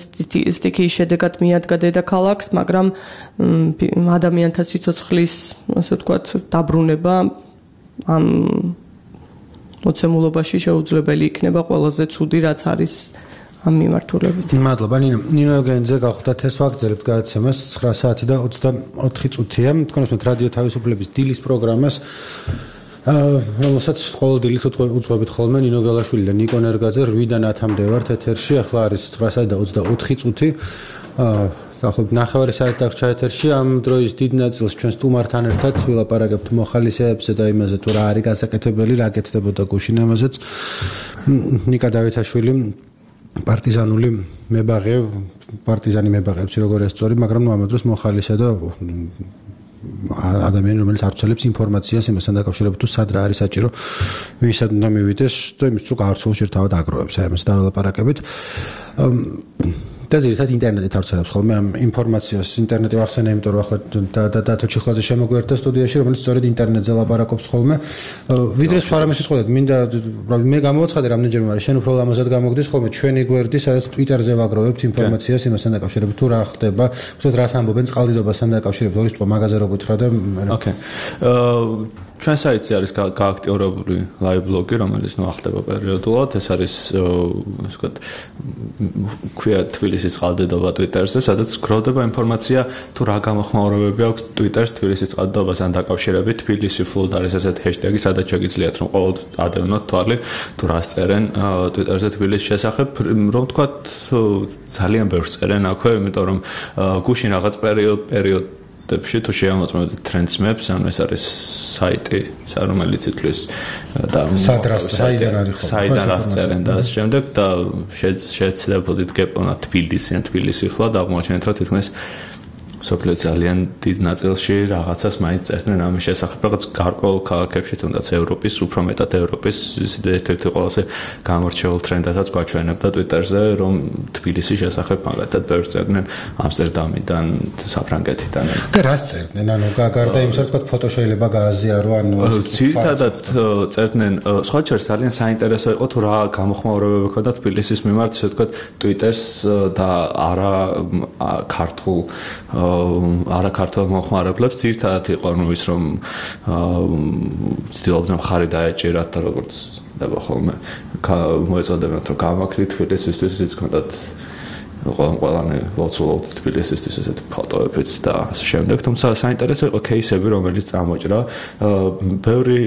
სტიქის შედეგად მიადგა დედაქალაქს, მაგრამ ადამიანთა სიცოცხლის, ასე ვთქვათ, დაბრუნება ამ მოცემულობაში შეუძლებელი იქნება ყველაზე ცუდი, რაც არის ამ მიმართულებით. მადლობა ნინო. ნინო ევგენიძე გახდათ ეს ვაგრძელებთ გადაცემას 9 საათი და 24 წუთია. თქვენს რადიო თავისუფლების დილის პროგრამას რომელსაც ყოველ დილით უძღვებით ხოლმე ნინო გელაშვილი და ნიკო ნერგაძე 8-დან 10-მდე ვართ ეთერში. ახლა არის 9 საათი და 24 წუთი. დაახლოებით 9 საათი დაგრჩა ეთერში. ამ დროის დიდ ნაწილს ჩვენ სტუმართან ერთად ვილაპარაკებთ მოხალისეებზე და იმაზე თუ რა არის გასაკეთებელი, რა კეთდებოდა გუშინ ამაზეც. ნიკა დავითაშვილი პარტიზანული მებაღე პარტიზანი მებაღებს როგორ ეს სწორი, მაგრამ ნუ ამ დროს მოხალისე და ადამიანი რომელიც არ ცელებს ინფორმაციას იმასთან დაკავშირებით თუ სად რა არის საჭირო ვისაც უნდა მივიდეს და იმის თუ გაარცხოს ერთად აგროვებს აი ამას დაველაპარაკებით და ძირითადად ინტერნეტით არცელებს ხოლმე ამ ინფორმაციას ინტერნეტი ვახსენე იმიტომ რომ ახლა დათო ჩიხლაძე შემოგვიერთდა სტუდიაში რომელიც სწორედ ინტერნეტზე ლაპარაკობს ხოლმე ვიდრე სხვა რამე სიტყვებით მინდა მე გამოვაცხადე რამდენჯერმე არის შენ უფრო ლამაზად გამოგდის ხოლმე ჩვენი გვერდი სადაც Twitter-ზე ვაგროვებთ ინფორმაციას იმასთან დაკავშირებით თუ რა ხდება უბრალოდ რას ამბობენ წყალდიდობასთან დაკავშირებით ორი სიტყვა მაგაზე რო გითხრა და ოკეი ჩვენ საიტზე არის გააქტიურებული live blog-ი რომელიც ნუ ახდება პერიოდულად ეს არის ასე ვთქვათ ქვია თბილისის წყალდიდობა Twitter-ზე სადაც გროვდება ინფორმაცია თუ რა გამოხმაურებები აქვს Twitter-ს თბილისის წყალდიდობასთან დაკავშირებით თბილისი flood არის ესეთ ჰეშტეგი სადაც შეგიძლიათ რომ ყოველ ადევნოთ თვალი თუ რას წერენ Twitter-ზე თბილისის შესახებ რომ ვთქვათ ძალიან ბევრს წერენ აქვე იმიტომ რომ გუშინ რაღაც პერიოდ დებში თუ შეამოწმებთ Trends Maps, ანუ ეს არის საიტი, რომელიც ითვლის და საიდან რას წერენ და ამ შემდეგ და შეეცდებოდით გეპონათ თბილისი ხლა და აღმოჩენთ რომ თითქმის სოფლის ძალიან დიდ ნაწილში რაღაცას მაინც წერდნენ ამის შესახებ, რაღაც გარკვეულ ქალაქებში თუნდაც ევროპის, უფრო მეტად ევროპის ერთ-ერთი ყველაზე გამორჩეულ ტრენდადაც გვაჩვენებდა Twitter-ზე, რომ თბილისის შესახებ მაგათად ბევრს წერდნენ ამსტერდამიდან, საფრანგეთიდან. და რას წერდნენ? ანუ გარდა იმისა, რომ თქვა ფოტო შეიძლება გააზიარო, ანუ ძირითადად წერდნენ, სხვა შორის ძალიან საინტერესო იყო თუ რა გამოხმაურებები ჰქონდა თბილისის მიმართ, ისე ვთქვათ, Twitter-ს და არა ქართულ ქართულ მოხმარებლებს ძირთადად იყო ნუ ის რომ ცდილობდნენ მხარი დაეჭირათ და როგორც ხდება ხოლმე მოეწოდებათ რომ გამაქრით თბილისისთვის ისიც ჰქონდათ ყველანი ლოცულობთ თბილისისთვის ესეთ ფოტოებიც და ასე შემდეგ თუმცა საინტერესო იყო кейსები რომელიც წამოჭრა ბევრი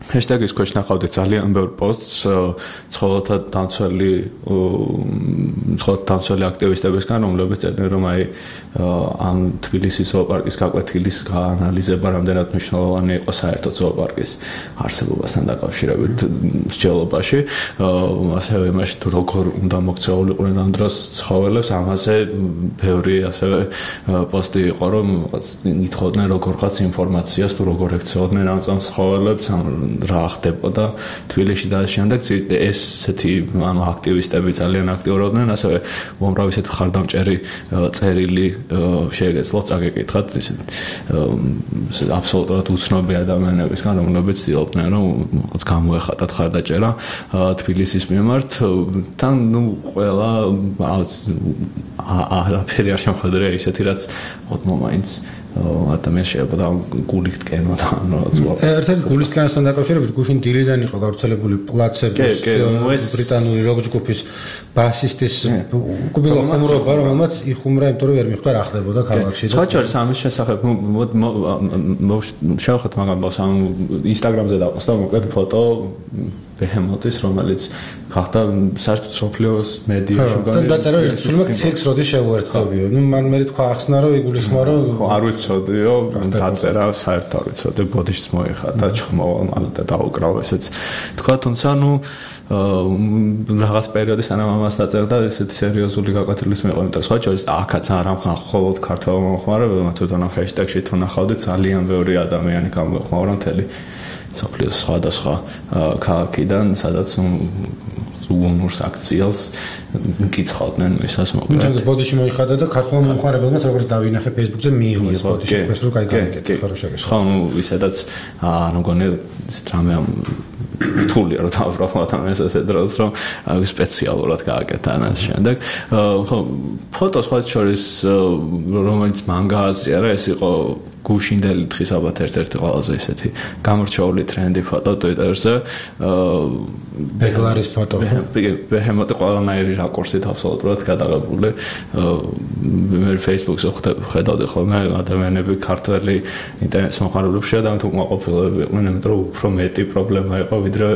ჰეშტეგის ქვეშ ნახავდი ძალიან ბევრ პოსტს ცხოველთა დამცველი აქტივისტებისგან რომლებიც წერდნენ რომ აი ამ თბილისის ზოოპარკის გაკვეთილის გაანალიზება რამდენად მნიშვნელოვანი იყო საერთოდ ზოოპარკის არსებობასთან დაკავშირებით მსჯელობაში ასევე იმაში თუ როგორ უნდა მოქცეულიყვნენ ამ დროს ცხოველებს ამაზე ბევრი ასევე პოსტი იყო რომ ითხოვდნენ როგორღაც ინფორმაციას თუ როგორ ექცეოდნენ ამ ცხოველებს რა ხდებოდა თბილისში და შემდეგ ესეთი ანუ აქტივისტები ძალიან აქტიურობდნენ ასევე უამრავი ესეთი ხარდამჭერი წერილი შეგეძლოთ წაგეკითხათ აბსოლუტურად უცნობი ადამიანებისგან რომლებიც ცდილობდნენ რომ რაღაც გამოეხატათ ხარდაჭერა თბილისის მიმართ თან ნუ ყველა არაფერი არ შემოხვედრია ისეთი რაც ოდმომაინც ადამიანს შეიძლება გულით კენო და ერთ-ერთი გულის კენასთან დაკავშირებით გუშინ დილიდან იყო გავრცელებული პლაცების ბრიტანული როკ ჯგუფის ბასისტის უკბილო ხუმრობა რომელმაც იხუმრა იმიტომ რომ ვერ მიხვდა რა ხდებოდა ქალაქში სხვა შორის ამის შესახებ შევახოთ მაგამ ამ Instagram-ზე დავყოსდა მოკლედ ფოტო ბეჰემოთის რომელიც ხახდა საერთოდ სოფლიოს მედიაში და დაწერა სულმე ცირკს როდის შეუერთდებიო ნუ მან მე თქვა ახსნა რომ იგულისხმო რომ არ ვიცოდიო დაწერა საერთოდ არ ვიცოდი ბოდიშს მოიხატა ჩამოვალ და დაუკრავ ესეც თქვა თუმცა ნუ რაღაც პერიოდი სანამ ამას დაწერდა ესეთი სერიოზული გაკვეთილის მიყო იმიტომ სხვა შორის აქაც არ ამხმაურებთ ქართველ მომხმარებელმა თვითონ ამ ჰეშტეგში თუ ნახავდით ძალიან ბევრი ადამიანი გამოეხმაურა მთელი სოფლიოს სხვადასხვა ქალაქიდან სადაც უგუნურს აქციელს მკითხავდნენ ვისაც მოკლედ. ჩვენ ბოდიში მოიხადა და ქართულ მომხმარებელმაც როგორც დავინახე Facebook-ზე მიიღო ეს ბოდიში ეს რო გაიგეთ ხო შეგეშ. ხო ნუ ვისედაც ანუ გონე დრამე რთულია რომ დავბრალოთ ამ ესე დროს რომ სპეციალურად გააკეთა ამას შემდეგ. ხო ფოტოს სხვა შორის რომელიც მან გააზიარა ეს იყო გუშინდელი დღის ალბათ ერთ-ერთი ყველაზე ისეთი გამორჩეული ტრენდი ფოტო Twitter-ზე. ბეგლარის ფოტო. ბეჰემოტი ყველანაირი რაკურსით აბსოლუტურად გადაღებული. მე Facebook-ზე ხედავდი ხოლმე ადამიანები ქართველი ინტერნეტის მომხმარებლებში ადამიანთ უკმაყოფილოები იყვნენ, იმიტომ რომ უფრო მეტი პრობლემა იყო ვიდრე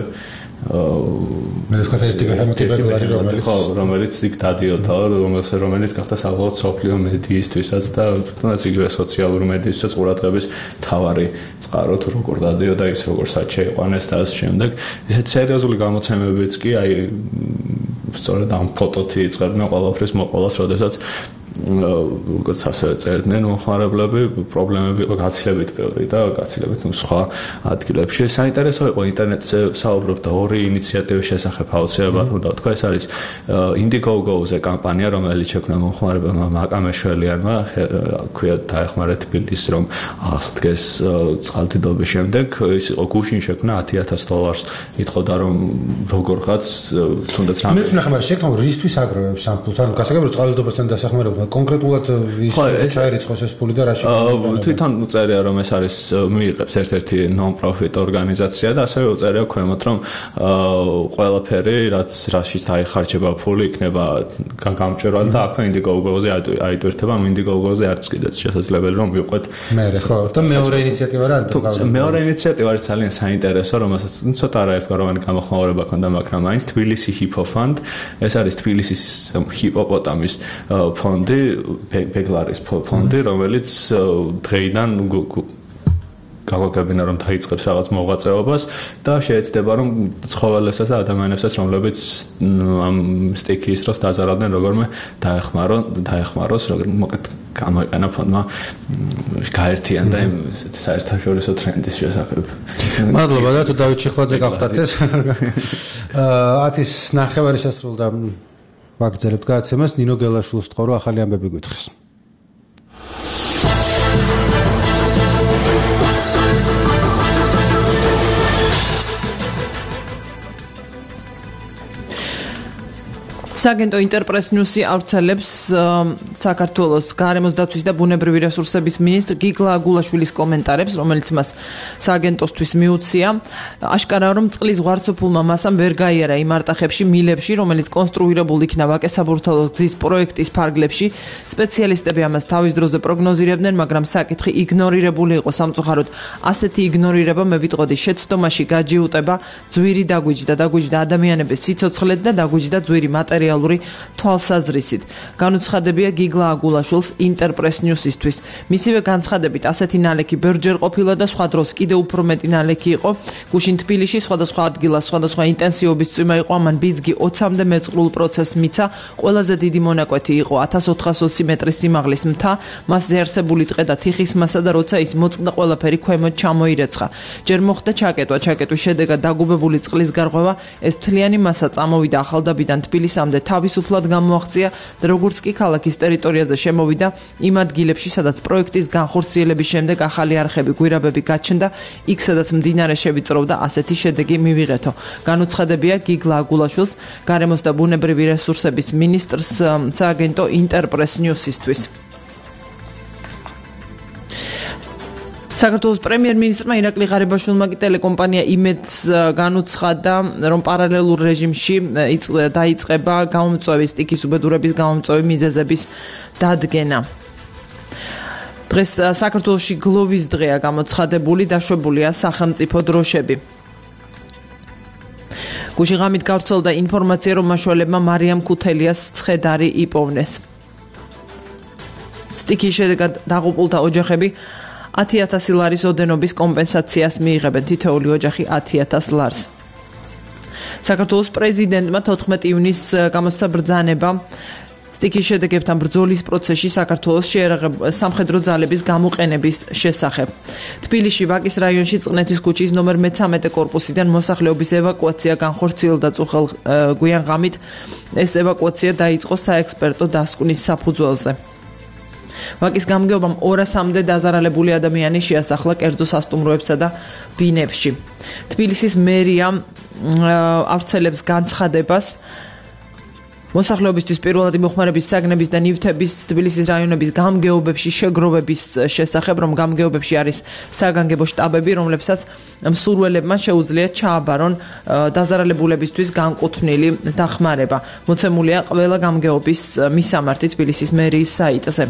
მე ვთქვა ერთი ბეჰემოტი ბეგლარი რომელიც იქ დადიოდა რომელიც გახდა საბოლოოდ სოფლიო მედიისთვისაც და თუნდაც იგივე სოციალური მედიისთვისაც ყურადღების მთავარი წყარო თუ როგორ დადიოდა ის როგორ საჩე იყვანეს და ამ შემდეგ ისეთ სერიოზული გამოცემებიც კი აი სწორედ ამ ფოტოთი იწყებდნენ ყველაფრის მოყოლას, როდესაც როგორც ასევე წერდნენ მომხმარებლები, პრობლემები იყო გაცილებით ბევრი და გაცილებით სხვა ადგილებში. საინტერესო იყო ინტერნეტზე საუბრობ და ორი ინიციატივის შესახებ აუცილებლად უნდა ვთქვა. ეს არის Indiegogo-ზე კამპანია, რომელიც შექმნა მომხმარებელმა მაკა მეშველიანმა, ქვია დაეხმარეთ თბილისს, რომ აღსდგეს წყალდიდობის შემდეგ. ის იყო გუშინ შექმნა $10,000 ითხოვდა, რომ როგორღაც თუნდაც რამე. მეც ნახე, მაგრამ შექმნა რისთვის აგროვებს ამ ფულს? ანუ გასაგებია წყალდიდობასთან დასახმარებლად კონკრეტულად ვის ჩაერიცხოს ეს ფული და რაში თვითონ უწერია რომ ეს არის მიიღებს ერთ-ერთი non-profit ორგანიზაცია და ასევე უწერია ქვემოთ რომ ყველაფერი რაშიც დაიხარჯება ფული იქნება გამჭვირვალე და აქვე Indiegogo-ზე აიტვირთება. Indiegogo-ზე არც კიდეც შესაძლებელი რომ მივყვეთ მე ხო და მეორე ინიციატივა რა არის? მეორე ინიციატივა არის ძალიან საინტერესო, რომელსაც ცოტა არაერთგვაროვანი გამოხმაურება ქონდა, მაგრამ მაინც თბილისი Hippo Fund, ეს არის თბილისის ჰიპოპოტამის ფონდი, ბეგლარის ფონდი, რომელიც დღეიდან გაგვაგებინა რომ დაიწყებს რაღაც მოღვაწეობას და შეეცდება რომ ცხოველებსაც და ადამიანებსაც რომლებიც ამ სტიქის დროს დაზარავდნენ როგორმე დაეხმაროს როგორ მოკეთ გამოიყენა ფონდმა გაერთიან და იმ საერთაშორისო ტრენდის შესახებ. მადლობა და თუ დავით ჩიხლაძე გახდათ ეს 10-ის ნახევარი შესრულდა ვაგრძელებთ გადაცემას. ნინო გელაშვილს ვთხოვ რომ ახალი ამბები გვითხრეს. საგენტო ინტერპრეს ნიუსი ავრცელებს საქართველოს გარემოს დაცვის და ბუნებრივი რესურსების მინისტრ გიგლა აგულაშვილის კომენტარებს, რომელიც მას საგენტოსთვის მიუცია. აშკარაა, რომ წყლის ზღვარცოფულმა მასამ ვერ გაიარა იმ არტახებში, მილებში, რომელიც კონსტრუირებულ იქნა ვაკე-საბურთალოს გზის პროექტის ფარგლებში. სპეციალისტები ამას თავის დროზე პროგნოზირებდნენ, მაგრამ საკითხი იგნორირებული იყო სამწუხაროდ. ასეთი იგნორირება მე ვიტყოდი შეცდომაში გაჯიუტება, ძვირი დაგვიჯდა ადამიანების სიცოცხლედ და დაგვიჯდა ძვირი მატერიალური თვალსაზრისით. განუცხადებია გიგლა აგულაშვილს ინტერპრეს ნიუსისთვის. მისივე განცხადებით ასეთი ნალექი ბევრჯერ ყოფილა და სხვა დროს კიდევ უფრო მეტი ნალექი იყო. გუშინ თბილისში სხვადასხვა ადგილას სხვადასხვა ინტენსივობის წვიმა იყო, ამან ბიძგი 20-მდე მეწყრულ პროცესს მიცა. ყველაზე დიდი მონაკვეთი იყო 1420 მეტრის სიმაღლის მთა, მასზე არსებული ტყე და თიხის მასა და როცა ის მოწყდა ყველაფერი ქვემოთ ჩამოირეცხა. ჯერ მოხდა ჩაკეტვის შედეგად დაგუბებული წყლის გარღვევა, ეს მთლიანი მასა წამოვიდა ახალდაბიდან თბილისამდე თავისუფლად გამოაღწია და როგორც კი ქალაქის ტერიტორიაზე შემოვიდა იმ ადგილებში, სადაც პროექტის განხორციელების შემდეგ ახალი არხები გვირაბები გაჩნდა, იქ სადაც მდინარე შევიწროვდა, ასეთი შედეგი მივიღეთო. განუცხადებია გიგლა აგულაშვილს, გარემოს და ბუნებრივი რესურსების მინისტრს სააგენტო ინტერპრეს ნიუსისთვის. საქართველოს პრემიერ-მინისტრმა ირაკლი ღარიბაშვილმა კი ტელეკომპანია იმედს განუცხადა, რომ პარალელურ რეჟიმში დაიწყება გამომწვევი სტიქის უბედურების გამომწვევი მიზეზების დადგენა. დღეს საქართველოში გლოვის დღეა გამოცხადებული, დაშვებულია სახელმწიფო დროშები. გუშინ ღამით გავრცელდა ინფორმაცია, რომ მაშველებმა მარიამ ქუთელიას ცხედარი იპოვნეს. სტიქის შედეგად დაღუპულთა ოჯახები 10,000 ლარის ოდენობის კომპენსაციას მიიღებენ, თითოეული ოჯახი 10,000 ლარს. საქართველოს პრეზიდენტმა 14 ივნისს გამოსცა ბრძანება სტიქის შედეგებთან ბრძოლის პროცესში საქართველოს სამხედრო ძალების გამოყენების შესახებ. თბილისში ვაკის რაიონში წყნეთის ქუჩის ნომერ 13 კორპუსიდან მოსახლეობის ევაკუაცია განხორციელდა წუხელ გვიან ღამით. ეს ევაკუაცია დაიწყო საექსპერტო დასკვნის საფუძველზე. ვაკის გამგეობამ 200-მდე დაზარალებული ადამიანი შეასახლა კერძო სასტუმროებსა და ბინებში. თბილისის მერია ავრცელებს განცხადებას მოსახლეობისთვის პირველადი მოხმარების საგნების და ნივთების თბილისის რაიონების გამგეობებში შეგროვების შესახებ, რომ გამგეობებში არის საგანგებო შტაბები, რომლებსაც მსურველებმა შეუძლიათ ჩააბარონ დაზარალებულებისთვის განკუთვნილი დახმარება. მოცემულია ყველა გამგეობის მისამართი თბილისის მერიის საიტზე.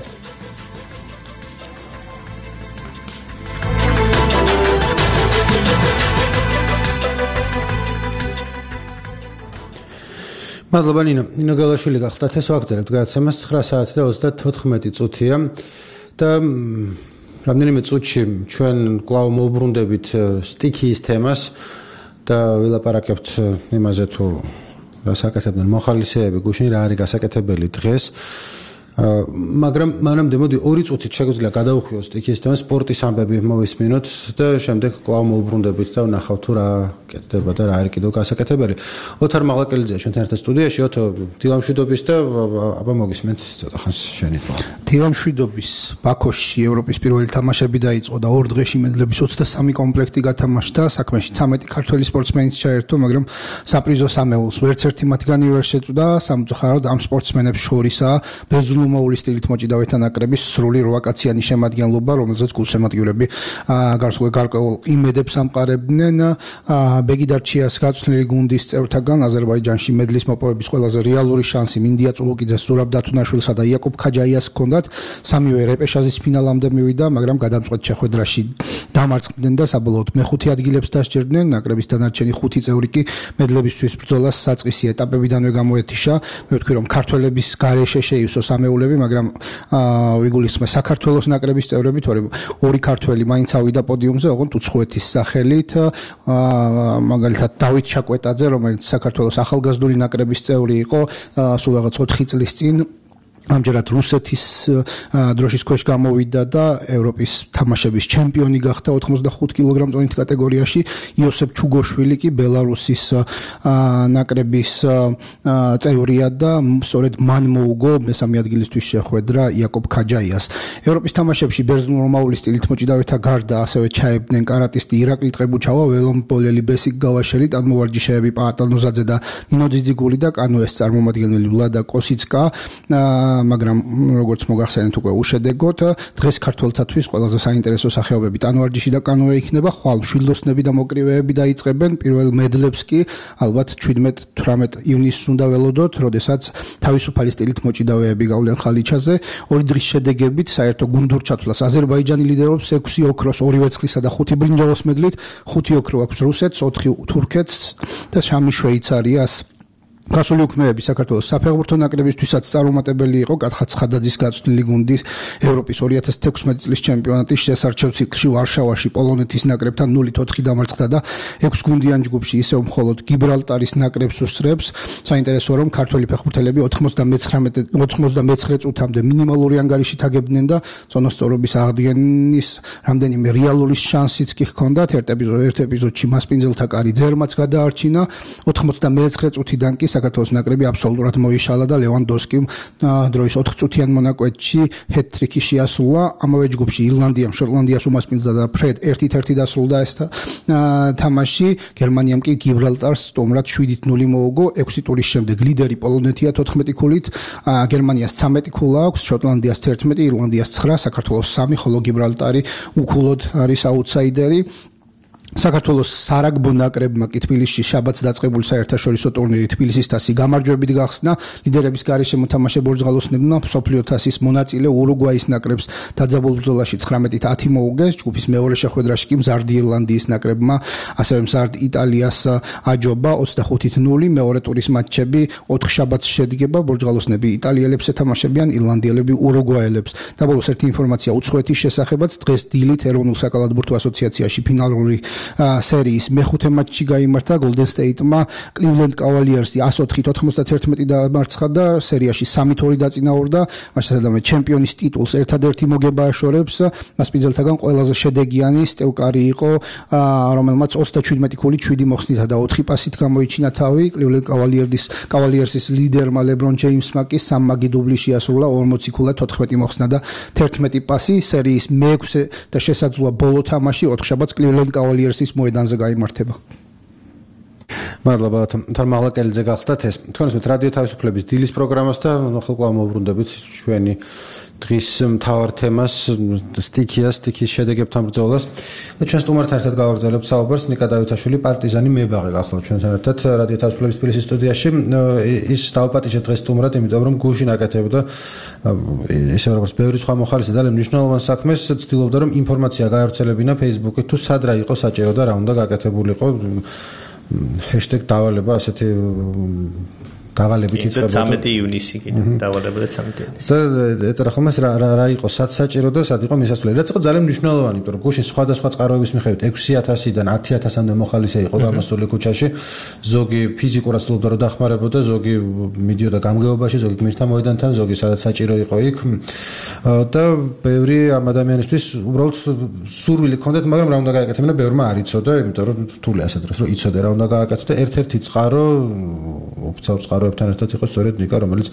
მადლობა ნინო გელაშვილი გახდათ. ეს ვაგრძელებთ გადაცემას 9 საათი და 34 წუთია და რამდენიმე წუთში ჩვენ კვლავ მოვბრუნდებით სტიქიის თემას და ვილაპარაკებთ იმაზე თუ რას აკეთებდნენ მოხალისეები გუშინ რა არის გასაკეთებელი დღეს მაგრამ მანამდე მოდი 2 წუთით შეგვიძლია გადავხვიოთ სტიქიის თემას სპორტის ამბები მოვისმინოთ და შემდეგ კვლავ მოვუბრუნდებით და ვნახავთ თუ რა კეთდება და რა არის კიდევ გასაკეთებელი ოთარ მაღლაკელიძეა ჩვენთან ერთად სტუდიაში ოთო დილამშვიდობის და აბა მოგისმენთ ცოტა ხანს შენი დილამშვიდობის ბაქოში ევროპის პირველი თამაშები დაიწყო და 2 დღეში მედლების 23 კომპლექტი გათამაშდა საქმეში 13 ქართველი სპორტსმენიც ჩაერთო მაგრამ საპრიზო სამეულს ვერც ერთი მათგანი ვერ შეწვდა სამწუხაროდ ამ სპორტსმენებს შორისაა ბეზლუმოული სტილით მოჭიდავეთა ნაკრების სრული 8 კაციანი შემადგენლობა რომელზეც გულშემატკივრები გარკვეულ იმედებს ამყარებდნენ ბეგიდარჩიას გაწვრთნილი გუნდის წევრთაგან აზერბაიჯანში მედლის მოპოვების ყველაზე რეალური შანსი მინდია წულუკიძეს ზურაბ დათუნაშვილსა და იაკობ ქაჯაიას ჰქონდათ სამივე რეპეშაჟის ფინალამდე მივიდა მაგრამ გადამწყვეტ შეხვედრაში დამარცხდნენ და საბოლოოდ მეხუთე ადგილებს დასჯერდნენ ნაკრების დანარჩენი 5 წევრი კი მედლებისთვის ბრძოლას საწყისი ეტაპებიდანვე გამოეთიშა მე ვთქვი რომ ქართველების გარეშე შეივსო სამეულები მაგრამ ვიგულისხმე საქართველოს ნაკრების წევრები თორემ 2 ქართველი მაინც ავიდა პოდიუმზე ოღონდ უცხოეთის სახელით მაგალითად დავით ჩაკვეტაძე რომელიც საქართველოს ახალგაზრდული ნაკრების წევრი იყო სულ რაღაც 4 წლის წინ ამჯერად რუსეთის დროშის ქვეშ გამოვიდა და ევროპის თამაშების ჩემპიონი გახდა 85 კილოგრამ-წონით კატეგორიაში იოსებ ჩუგოშვილი კი ბელარუსის ნაკრების წევრია და სწორედ მან მოუგო მესამე ადგილისთვის შეხვედრა იაკობ ქაჯაიას ევროპის თამაშებში ბერძნულ-რომაული სტილით მოჭიდავეთა გარდა ასევე ჩაებდნენ კარატისტი ირაკლი ტყებუჩავა ველომპოლელი ბესიკ გავაშელი ტანმოვარჯიშეები პაატა ნუზაძე და ნინო ძიძიგული და კანოეს წარმომადგენელი ვლადა კოსიცკა მაგრამ როგორც მოგახსენეთ უკვე უშედეგოდ დღეს ქართველთათვის ყველაზე საინტერესო სახეობები ტანვარჯიში და კანოე იქნება ხვალ მშვილდოსნები და მოკრივეები დაიწყებენ პირველ მედლებს კი ალბათ 17-18 ივნისს უნდა ველოდოთ როდესაც თავისუფალი სტილით მოჭიდავეები გავლენ ხალიჩაზე 2 დღის შედეგებით საერთო გუნდურ ჩათვლას აზერბაიჯანი ლიდერობს 6 ოქროს 2 ვერცხლისა და 5 ბრინჯაოს მედლით 5 ოქრო აქვს რუსეთს 4 თურქეთს და 3 შვეიცარიას გასული უქმეები საქართველოს საფეხბურთო ნაკრებისთვისაც წარუმატებელი იყო კათხა ცხადაძის გაწვრთნილი გუნდი ევროპის 2016 წლის ჩემპიონატის შესარჩევ ციკლში ვარშავაში პოლონეთის ნაკრებთან 0-4 დამარცხდა და 6 გუნდიან ჯგუფში ისევ მხოლოდ გიბრალტარის ნაკრებს უსწრებს საინტერესოა რომ ქართველი ფეხბურთელები 99 წუთამდე მინიმალური ანგარიშით აგებდნენ და წონასწორობის აღდგენის რამდენიმე რეალური შანსიც კი ჰქონდათ ერთ ეპიზოდში მასპინძელთა კარი ძერმაც გადაარჩინა 99 წუთიდან კი საქართველოს ნაკრები აბსოლუტურად მოიშალა და ლევანდოვსკიმ დროის 4 წუთიან მონაკვეთში ჰეტ-ტრიკი შეასრულა. ამავე ჯგუფში ირლანდიამ შოტლანდიას უმასპინძლა და ფრედ 1-1 დასრულდა ეს თამაში. გერმანიამ კი გიბრალტარს სტუმრად 7-0 მოუგო. 6 ტურის შემდეგ ლიდერი პოლონეთია 14 ქულით, გერმანიას 13 ქულა აქვს, შოტლანდიას 11, ირლანდიას 9, საქართველოს 3, ხოლო გიბრალტარი უქულოდ არის აუტსაიდერი. საქართველოს სარაგბო ნაკრებმა კი თბილისში შაბათს დაწყებული საერთაშორისო ტურნირი თბილისის თასი გამარჯვებით გახსნა. ლიდერების გარეშე მოთამაშე ბორჯღალოსნებმა მსოფლიო თასის მონაწილე ურუგვაის ნაკრებს დაძაბულ ბრძოლაში 19-10 მოუგეს. ჯგუფის მეორე შეხვედრაში კი მზარდი ირლანდიის ნაკრებმა ასევე მზარდ იტალიას აჯობა 25-0. მეორე ტურის მატჩები 4 შაბათს შედგება. ბორჯღალოსნები იტალიელებს ეთამაშებიან, ირლანდიელები ურუგვაელებს. და ბოლოს ერთი ინფორმაცია უცხოეთის შესახებაც. დღეს დილით ეროვნულ საკალათბურთო ასოციაციაში ფინალური სერიის მეხუთე მატჩი გაიმართა. Golden State-მა Cleveland Cavaliers-ი 104-91 დამარცხა და სერიაში 3-2 დაწინაურდა. მაშინ ჩემპიონის ტიტულს ერთადერთი მოგება აშორებს. მასპინძელთაგან ყველაზე შედეგიანი სტევ კარი იყო, რომელმაც 37 ქულით 7 მოხსნითა და 4 პასით გამოიჩინა თავი. Cleveland Cavaliers-ის ლიდერმა LeBron James-მა კი 3 მაგი დუბლი შეასრულა, 40 ქულა, 14 მოხსნა და 11 პასი. სერიის მეექვსე და შესაძლოა ბოლო თამაში 4 შაბათს Cleveland Cavaliers-ის მოედანზე გაიმართება. მადლობა თან მაღლაკელიძე გახდათ ეს. თქვენს მე რადიო თავისუფლების დილის პროგრამას და ხოლმე მოვუბრუნდებით ჩვენი დღის მთავარ თემას სტიქის შედეგებთან ბრძოლას. და ჩვენ სტუმართან ერთად გავაგრძელებთ საუბარს. ნიკა დავითაშვილი პარტიზანი მებაღე გახლავთ ჩვენთან ერთად რადიო თავისუფლების თბილისის სტუდიაში. ის დავაპატიჟე დღეს სტუმრად, იმიტომ რომ გუშინ აკეთებდა ისე როგორც ბევრი სხვა მოხალისე და მნიშვნელოვან საქმეს ცდილობდა რომ ინფორმაცია გაავრცელებინა Facebook-ით თუ სად რა იყო საჭირო და რა უნდა გაკეთებულიყო. #დავალება ასეთი დავალებით იწყებოდა 13 ივნისი კიდე დავალებოდა 13 ივნისი და ეწერა ხომ ეს რა იყო სად საჭირო და სად იყო მისასვლელი რაც იყო ძალიან მნიშვნელოვანი იმიტომ რომ გუშინ სხვადასხვა წყაროების მიხედვით 6000-დან 10000-მდე მოხალისე იყო გამოსული ქუჩაში ზოგი ფიზიკურად ცდილობდა რომ დახმარებოდა ზოგი მიდიოდა გამგეობაში ზოგი გმირთა მოედანთან ზოგი სადაც საჭირო იყო იქ და ბევრი ამ ადამიანისთვის უბრალოდ სურვილი ჰქონდათ მაგრამ რა უნდა გააკეთებინა ბევრმა არ იცოდა იმიტომ რომ რთულია ასეთ დროს რომ იცოდე რა უნდა გააკეთო და ერთ-ერთი წყარო ოფიციალურ წყაროებთან ერთად იყო სწორედ ნიკა რომელიც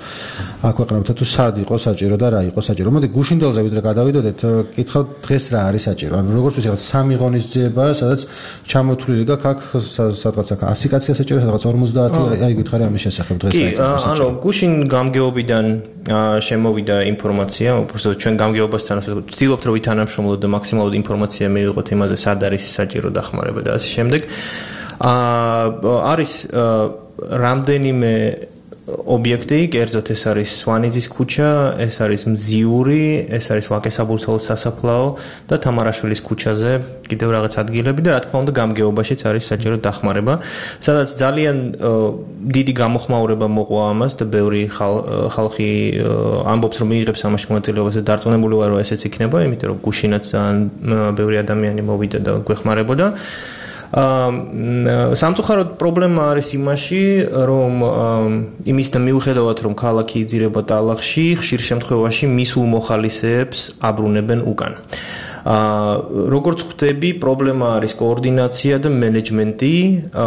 აქვეყნებდა თუ სად იყო საჭირო და რა იყო საჭირო მოდი გუშინდელზე ვიდრე გადავიდოდეთ კითხავთ დღეს რა არის საჭირო ანუ როგორც ვიცი რაღაც 3 ღონისძიებაა სადაც ჩამოთვლილი გაქვს აქ სადღაც აქ 100 კაცია საჭირო სადღაც 50 აი გითხარი ამის შესახებ დღეს კი ანუ გუშინ გამგეობიდან შემოვიდა ინფორმაცია უბრალოდ ჩვენ გამგეობასთან ვცდილობთ რომ ვითანამშრომლოთ და მაქსიმალურად ინფორმაცია მივიღოთ იმაზე სად არის საჭირო დახმარება და ასე შემდეგ არის რამდენიმე ობიექტი, კერძოდ ეს არის სვანიძის ქუჩა, ეს არის მზიური, ეს არის ვაკე-საბურთალოს სასაფლაო და თამარაშვილის ქუჩაზე კიდევ რაღაც ადგილები და რა თქმა უნდა გამგეობაშიც არის საჭირო დახმარება, სადაც ძალიან დიდი გამოხმაურება მოყვა ამას და ბევრი ხალხი ამბობს რომ მიიღებს ამაში მონაწილეობას და დარწმუნებული ვარ რომ ესეც იქნება, იმიტომ რომ გუშინაც ძალიან ბევრი ადამიანი მოვიდა და გვეხმარებოდა. სამწუხაროდ პრობლემა არის იმაში, რომ იმისთან მიუხედავად რომ ქალაქი იძირება ტალახში, ხშირ შემთხვევაში მისულ მოხალისეებს აბრუნებენ უკან. როგორც ხვდები, პრობლემა არის კოორდინაცია და მენეჯმენტი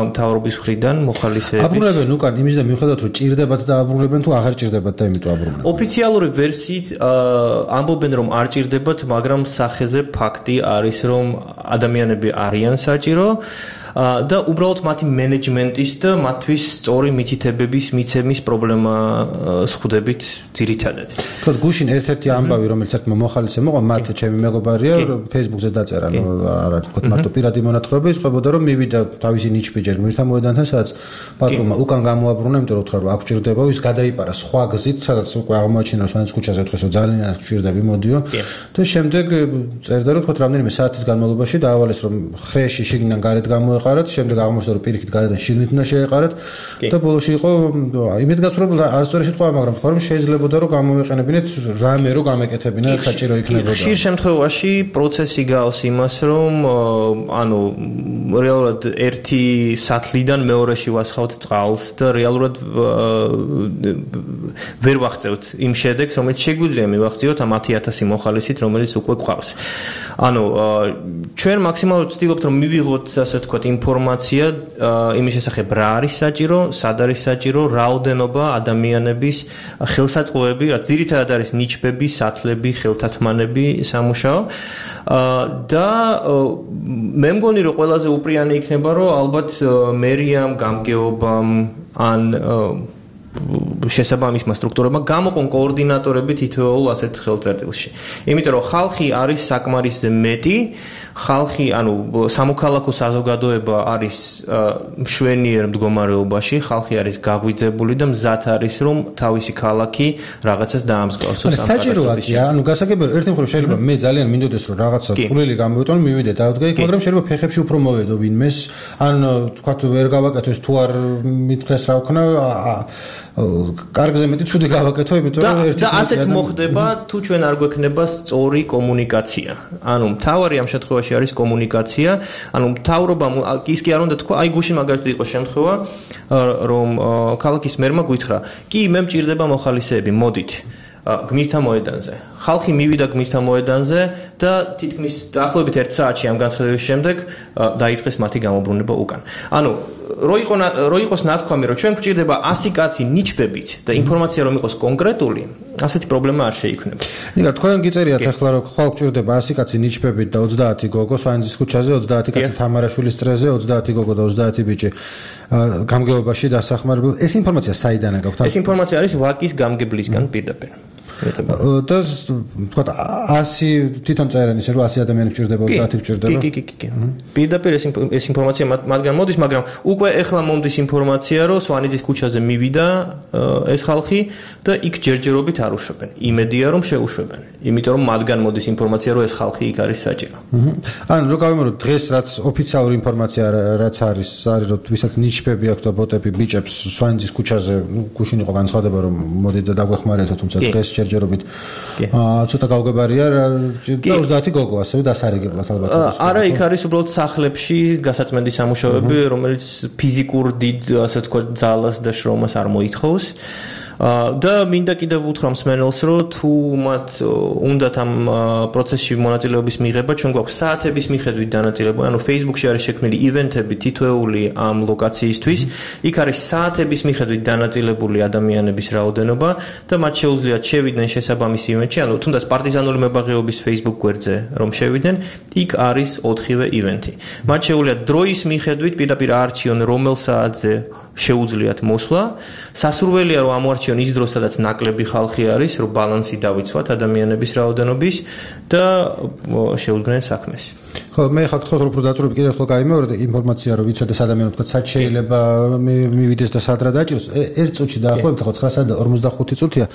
მთავრობის მხრიდან მოხალისეების. აბრუნებენ უკან იმისთან მიუხედავად რომ ჭირდებათ და აბრუნებენ თუ აღარ ჭირდებათ და იმიტომ აბრუნებენ. ოფიციალური ვერსიით ამბობენ რომ არ ჭირდებათ, მაგრამ სახეზე ფაქტი არის რომ ადამიანები არიან საჭირო. და უბრალოდ მათი მენეჯმენტის და მათთვის სწორი მითითებების მიცემის პრობლემა ხვდებით ძირითადად. თქო გუშინ ერთ-ერთი ამბავი რომელიც ერთმა მოხალისემ მოყვა მათ ჩემი მეგობარია Facebook-ზე დაწერა ნუ არ არის თქო მარტო პირადი მონათხრობი იყვებოდა რომ მივიდა თავისი ნიჩბიჯერ გმირთა მოედანთან სადაც პატრონმა უკან გამოაბრუნა იმიტომ რომ უთხრა რომ აქ ჭირდება ის გადაიპარა სხვა გზით სადაც უკვე აღმოაჩინა სვანიძის ქუჩაზე უთხრეს რომ ძალიან ჭირდები მოდიო და შემდეგ წერდა რომ თქო რამდენიმე საათის განმავლობაში დაავალეს რომ ხრეში შიგნიდან გარეთ გამოეყარათ შემდეგ აღმოჩნდა რომ პირიქით გარედან შიგნით უნდა შეეყარათ და ბოლოში იყო იმედგაცრუებული არ სწორი სიტყვა მაგრამ თქვა რომ შეიძლებოდა რომ გამოვეყენებინეთ რამე რომ გამეკეთებინა საჭირო იქნებოდა ხშირ შემთხვევაში პროცესი გავს იმას რომ ანუ რეალურად ერთი სათლიდან მეორეში ვასხავთ წყალს და რეალურად ვერ ვაღწევთ იმ შედეგს რომელიც შეგვიძლია მივაღწიოთ ამ 10000 მოხალისით რომელიც უკვე გვყავს ანუ ჩვენ მაქსიმალურად ვცდილობთ რომ მივიღოთ ასე ვთქვათ ინფორმაცია იმის შესახებ რა არის საჭირო, სად არის საჭირო, რაოდენობა ადამიანების ხელსაწყოები, რაც ძირითადად არის ნიჩბები, სათლები, ხელთათმანები სამუშაო და მე მგონი რომ ყველაზე უპრიანი იქნება რომ ალბათ მერიამ, გამგეობამ ან შესაბამისმა სტრუქტურებმა გამოყონ კოორდინატორები თითოეულ ასეთ ხელწერტილში. იმიტომ რომ ხალხი არის საკმარისზე მეტი, ხალხი, ანუ სამოქალაქო საზოგადოება არის მშვენიერ მდგომარეობაში, ხალხი არის გაგვიძებული და მზად არის რომ თავისი ქალაქი რაღაცას დაამსგავსოს. საჭიროა, ანუ გასაგებია, ერთი მხრივ შეიძლება მე ძალიან მინდოდეს რომ რაღაცა წვლილი გამოვიტანო, მივიდე დავდგა იქ, მაგრამ შეიძლება ფეხებში უფრო მოვედო ვინმეს, ან თქვა ვერ გავაკეთო ეს თუ არ მithქრეს რა ვქნა კარგზე მეტი ცუდი გავაკეთო, იმიტომ რომ ერთი და ასეც მოხდება თუ ჩვენ არ გვექნება სწორი კომუნიკაცია. ანუ მთავარი ამ შემთხვევაში არის კომუნიკაცია. ანუ მთავრობამ ის კი არ უნდა თქვა, აი გუშინ მაგალითად იყო შემთხვევა, რომ ქალაქის მერმა გითხრა, კი მე მჭირდება მოხალისეები, მოდით. გმირთა მოედანზე. ხალხი მივიდა გმირთა მოედანზე და თითქმის დაახლოებით 1 საათში ამ განცხადების შემდეგ დაიწყეს მათი გამობრუნება უკან. ანუ რო იყოს ნათქვამი, რომ ჩვენ გვჭირდება 100 კაცი ნიჩბებით და ინფორმაცია რომ იყოს კონკრეტული, ასეთი პრობლემა არ შეიქმნება. ნიკა, თქვენ გიწერიათ ახლა რომ ხვალ გვჭირდება 100 კაცი ნიჩბებით და 30 გოგო სვანიძის ქუჩაზე, 30 კაცი თამარაშვილის წრეზე, 30 გოგო და 30 ბიჭი გამგეობაში დასახმარებულ. ეს ინფორმაცია საიდანაა გაქვთ? ეს ინფორმაცია არის ვაკის გამგებლისგან პირდაპირ. და თქვა 100 თვითონ წერენ ისე რომ 100 ადამიანი გჭირდება 30 გჭირდება. კი. პირდაპირ ეს ინფორმაცია მათგან მოდის, მაგრამ უკვე ეხლა მომდის ინფორმაცია, რომ სვანიძის ქუჩაზე მივიდა ეს ხალხი და იქ ჯერჯერობით არ უშვებენ. იმედია რომ შეუშვებენ. იმიტომ რომ მათგან მოდის ინფორმაცია, რომ ეს ხალხი იქ არის საჭირო. ანუ რო გავიმეორებ დღეს რაც ოფიციალური ინფორმაცია რაც არის რომ ვისაც ნიშბები აქვს და ბოტები ბიჭებს სვანიძის ქუჩაზე, გუშინ იყო განცხადება რომ მოდი და დაგვეხმარეთო, თუმცა დღეს ჯერჯერობით ცოტა გავგებარია და 30 გოგო ასევე დასარიგებლად ალბათ. არა, იქ არის უბრალოდ სახლებში გასაწმენდი სამუშაოები, რომელიც ფიზიკურ დიდ ასე ვთქვათ ძალას და შრომას არ მოითხოვს. და მინდა კიდევ უთხრა მსმენელს, რომ თუ მათ უნდათ ამ პროცესში მონაწილეობის მიღება, ჩვენ გვაქვს საათების მიხედვით დანაწილებული, ანუ Facebook-ში არის შექმნილი ივენთები თითოეული ამ ლოკაციისთვის, იქ არის საათების მიხედვით დანაწილებული ადამიანების რაოდენობა და მათ შეუძლიათ შევიდნენ შესაბამის ივენტში, ანუ თუნდაც პარტიზანული მებაღეობის Facebook გვერდზე რომ შევიდნენ, იქ არის 4-ვე ივენთი. მათ შეუძლიათ დროის მიხედვით პირდაპირ არჩიონ რომელ საათზე შეუძლიათ მოსვლა. სასურველია რომ ამოარჩიონ ის დრო, სადაც ნაკლები ხალხი არის, რომ ბალანსი დავიცვათ ადამიანების რაოდენობის და შეუდგნენ საქმეს. ხო, მე ხარ თქო რომ დაწურები კიდევ ხო გაიმეორე ინფორმაცია რომ ვიცოდეს ადამიანი თქვა სად შეიძლება მივიდეს და სად რა დაჭიროს. 1 წუთში დაახლოებით ხო 9:45 წუთია.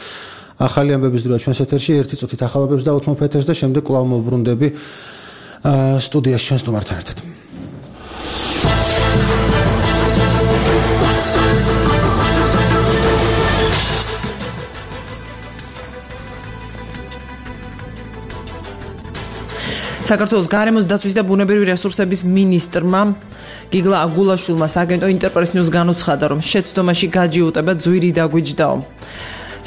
ახალი ამბების დროა ჩვენს ეთერში 1 წუთით ახალ ამბებს დავუთმობ ეთერს და შემდეგ კვლავ მოვბრუნდები სტუდიაში ჩვენს სტუმართან ერთად. საქართველოს გარემოს დაცვის და ბუნებრივი რესურსების მინისტრმა გიგლა აგულაშვილმა სააგენტო ინტერპრეს ნიუს განუცხადა, რომ შეცდომაში გაჯიუტება ძვირი დაგვიჯდაო.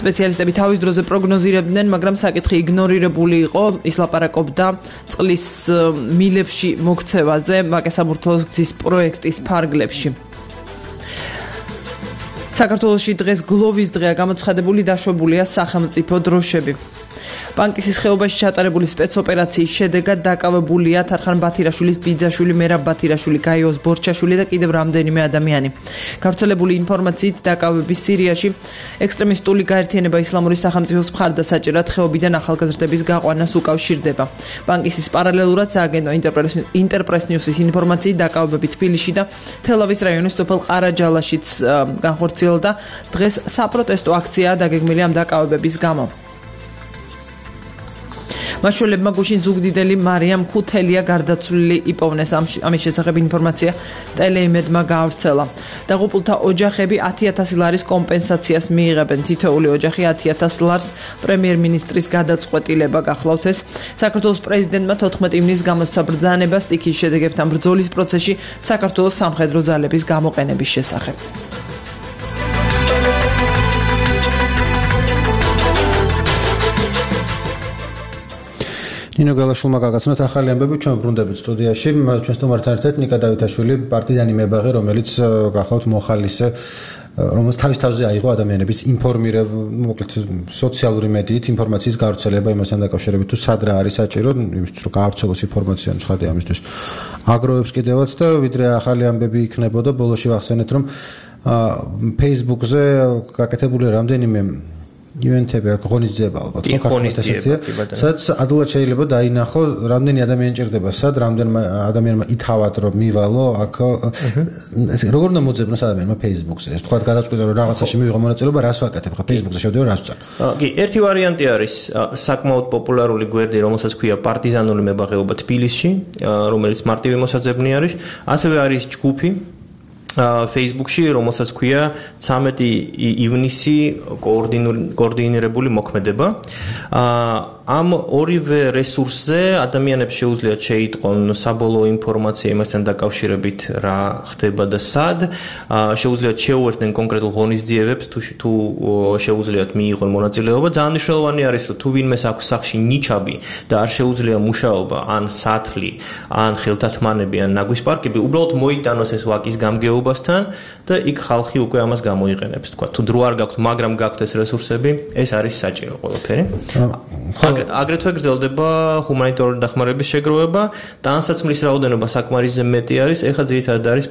სპეციალისტები თავის დროზე პროგნოზირებდნენ, მაგრამ საკითხი იგნორირებული იყო. ის ლაპარაკობდა წყლის მილებში მოქცევაზე ვაკე-საბურთალოს გზის პროექტის ფარგლებში. საქართველოში დღეს გლოვის დღეა, გამოცხადებული დაშვებულია სახელმწიფო დროშები. ბანკისის ხეობაში ჩატარებული სპეცოპერაციის შედეგად დაკავებულია თარხან ბათირაშვილის ბიძაშვილი, მერაბ ბათირაშვილი, გაიოს ბორჩაშვილი და კიდევ რამდენიმე ადამიანი. გავრცელებული ინფორმაციით დაკავების სირიაში ექსტრემისტული გაერთიანება ისლამური სახელმწიფოს მხარდასაჭერად ხეობიდან ახალგაზრდების გაყვანას უკავშირდება. ბანკისის პარალელურად სააგენტო ინტერპრეს ნიუსის ინფორმაციით დაკავებები თბილისში და თელავის რაიონის სოფელ ყარაჯალაშიც განხორციელდა. დღეს საპროტესტო აქციაა დაგეგმილი ამ დაკავებების გამო. მაშველებმა გუშინ ზუგდიდელი მარიამ ქუთელია გარდაცვლილი იპოვნეს. ამის შესახებ ინფორმაცია ტელეიმედმა გაავრცელა. დაღუპულთა ოჯახები 10,000 ლარის კომპენსაციას მიიღებენ. თითოეული ოჯახი 10,000 ლარს პრემიერ-მინისტრის გადაწყვეტილება გახლავთ ეს. საქართველოს პრეზიდენტმა 14 ივნისს გამოსცა ბრძანება სტიქის შედეგებთან ბრძოლის პროცესში საქართველოს სამხედრო ძალების გამოყენების შესახებ. ნინო გალაშვილმა გაგაცნოთ ახალი ამბები, ჩვენ ბრუნდებით სტუდიაში. ჩვენ სტუმართან ერთად ნიკა დავითაშვილი, პარტიზანი მებაღე, რომელიც გახლავთ მოხალისე, რომელიც თავის-თავზე აიღო ადამიანების მოკლედ სოციალური მედიით ინფორმაციის გავრცელება იმასთან დაკავშირებით, თუ სად რა არის საჭირო, იმისთვის რომ გაავრცელოს ინფორმაცია ცხადია ამისთვის. აგროვებს კიდევაც და ვიდრე ახალი ამბები იქნებოდა, ბოლოში ვახსენეთ, რომ Facebook-ზე გაკეთებული რამდენიმე ივენთები ღონისძიება ალბათ სადაც ადვილად შეიძლება დაინახო რამდენი ადამიანი ჭირდება სად რამდენმა ადამიანმა ითავად რომ მივალო აქ როგორ უნდა მოძებნოს ადამიანმა Facebook-ზე ეს თქვა გადაწყვეტა რომ რაღაცაში მივიღო მონაწილეობა რას ვაკეთებ ხა Facebook-ზე შევდივარ რას ვწარ კი ერთი ვარიანტი არის საკმაოდ პოპულარული გვერდი რომელსაც ქვია პარტიზანული მებაღეობა თბილისში რომელიც მარტივი მოსაძებნი არის ასევე არის ჯგუფი Facebook-ში, რომელსაც ქვია 13 ივნისი კოორდინირებული მოქმედება. ამ ორივე რესურსზე ადამიანებს შეუძლიათ შეიტყონ საბოლოო ინფორმაცია იმასთან დაკავშირებით რა ხდება და სად, შეუძლიათ შეუერთდნენ კონკრეტულ ღონისძიებებს თუ შეუძლიათ მიიღონ მონაწილეობა. ძალიან მნიშვნელოვანი არის, რომ თუ ვინმეს აქვს სახში ნიჩაბი და არ შეუძლია მუშაობა, ან სათლი, ან ხელთათმანები, ან ნაგვის პარკები, უბრალოდ მოიტანოს ეს ვაკის გამგეობასთან და იქ ხალხი უკვე ამას გამოიყენებს. თქვა, თუ დრო არ გაქვთ, მაგრამ გაქვთ ეს რესურსები, ეს არის საჭირო ყველაფერი. აგრეთვე გრძელდება ჰუმანიტარული დახმარების შეგროვება, ტანსაცმლის რაოდენობა საკმარისზე მეტი არის, ეხლა ძირითადად არის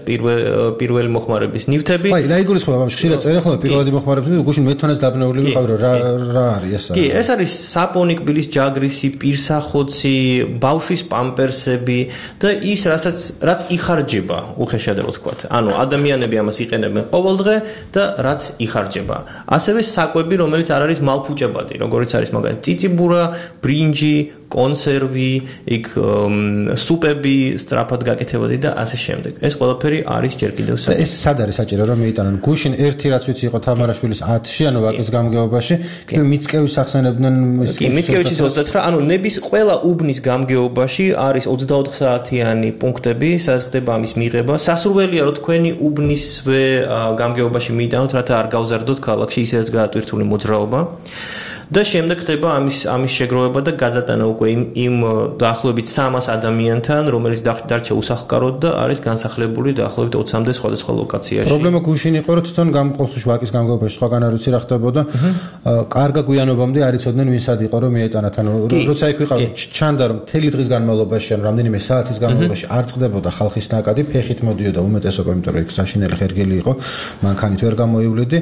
პირველი მოხმარების ნივთები. აი, რა იგულისხმება ამ ხშირად წერენ ხოლმე პირველი მოხმარების ნივთები, გუშინ მეთვანას დაბნეული ვიყავი, რა არის ეს? კი, ეს არის საპონი, კბილის ჯაგრისი, პირსახოცი, ბავშვის პამპერსები და ის რაც იხარჯება, უხეშად რო ვთქვათ. ანუ ადამიანები ამას იყენებენ ყოველდღე და რაც იხარჯება. ასევე საკვები, რომელიც არ არის მალფუჭებადი, როგორც არის მაგალითად წიწიბურა, ბრინჯი, კონსერვი, იქ სუპები, სწრაფად გაკეთებადი და ასე შემდეგ. ეს ყველაფერი არის ჯერ კიდევ და ეს სად არის საჭირო რომ მიიტანონ? გუშინ ერთი რაც ვიცი იყო თამარაშვილის 10-ში, ანუ ვაკის გამგეობაში, კიდევ მიწკევის ახსენებდნენ კი, მიწკევიჩის 29, ანუ ნების ყველა უბნის გამგეობაში არის 24 საათიანი პუნქტები, სადაც ხდება ამის მიღება. სასურველია რომ თქვენი უბნისვე გამგეობაში მიიტანოთ, რათა არ გავზარდოთ ქალაქში ისედაც გაატვირთული მოძრაობა. და შემდეგ ხდება ამის შეგროვება და გადატანა უკვე იმ დაახლოებით 300 ადამიანთან, რომელიც დარჩა უსახლკაროდ და არის განსახლებული დაახლოებით 20-მდე სხვადასხვა ლოკაციაში. პრობლემა გუშინ იყო, რომ თვითონ გამყოფში ვაკის გამგეობაში სხვაგან არ ვიცი რა ხდებოდა. კარგა გვიანობამდე არ იცოდნენ ვინ სად იყო რომ მიეტანათ. ანუ როცა იქ ვიყავ, ჩანდა რომ მთელი დღის განმავლობაში, ან რამდენიმე საათის განმავლობაში არ წყდებოდა ხალხის ნაკადი, ფეხით მოდიოდა უმეტესობა, იმიტომ რომ იქ საშინელი ხერგელი იყო, მანქანით ვერ გამოივლედი.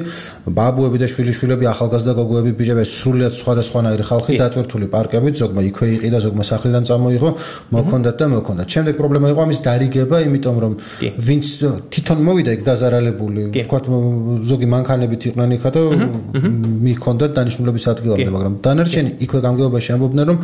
ბაბუები და შვილიშვილები, ახალგაზრდა გოგოები, ბიჭები სხვადასხვანაირი ხალხი დატვირთული პარკებით, ზოგმა იქვე იყიდა, ზოგმა სახლიდან წამოიღო, მოქონდათ და მოქონდათ. შემდეგ პრობლემა იყო ამის დარიგება, იმიტომ რომ ვინც თვითონ მოვიდა იქ დაზარალებული, თქვათ ზოგი მანქანებით იყვნენ იქა და მიქონდათ დანიშნულების ადგილამდე, მაგრამ დანარჩენი იქვე გამგეობაში ამბობდნენ რომ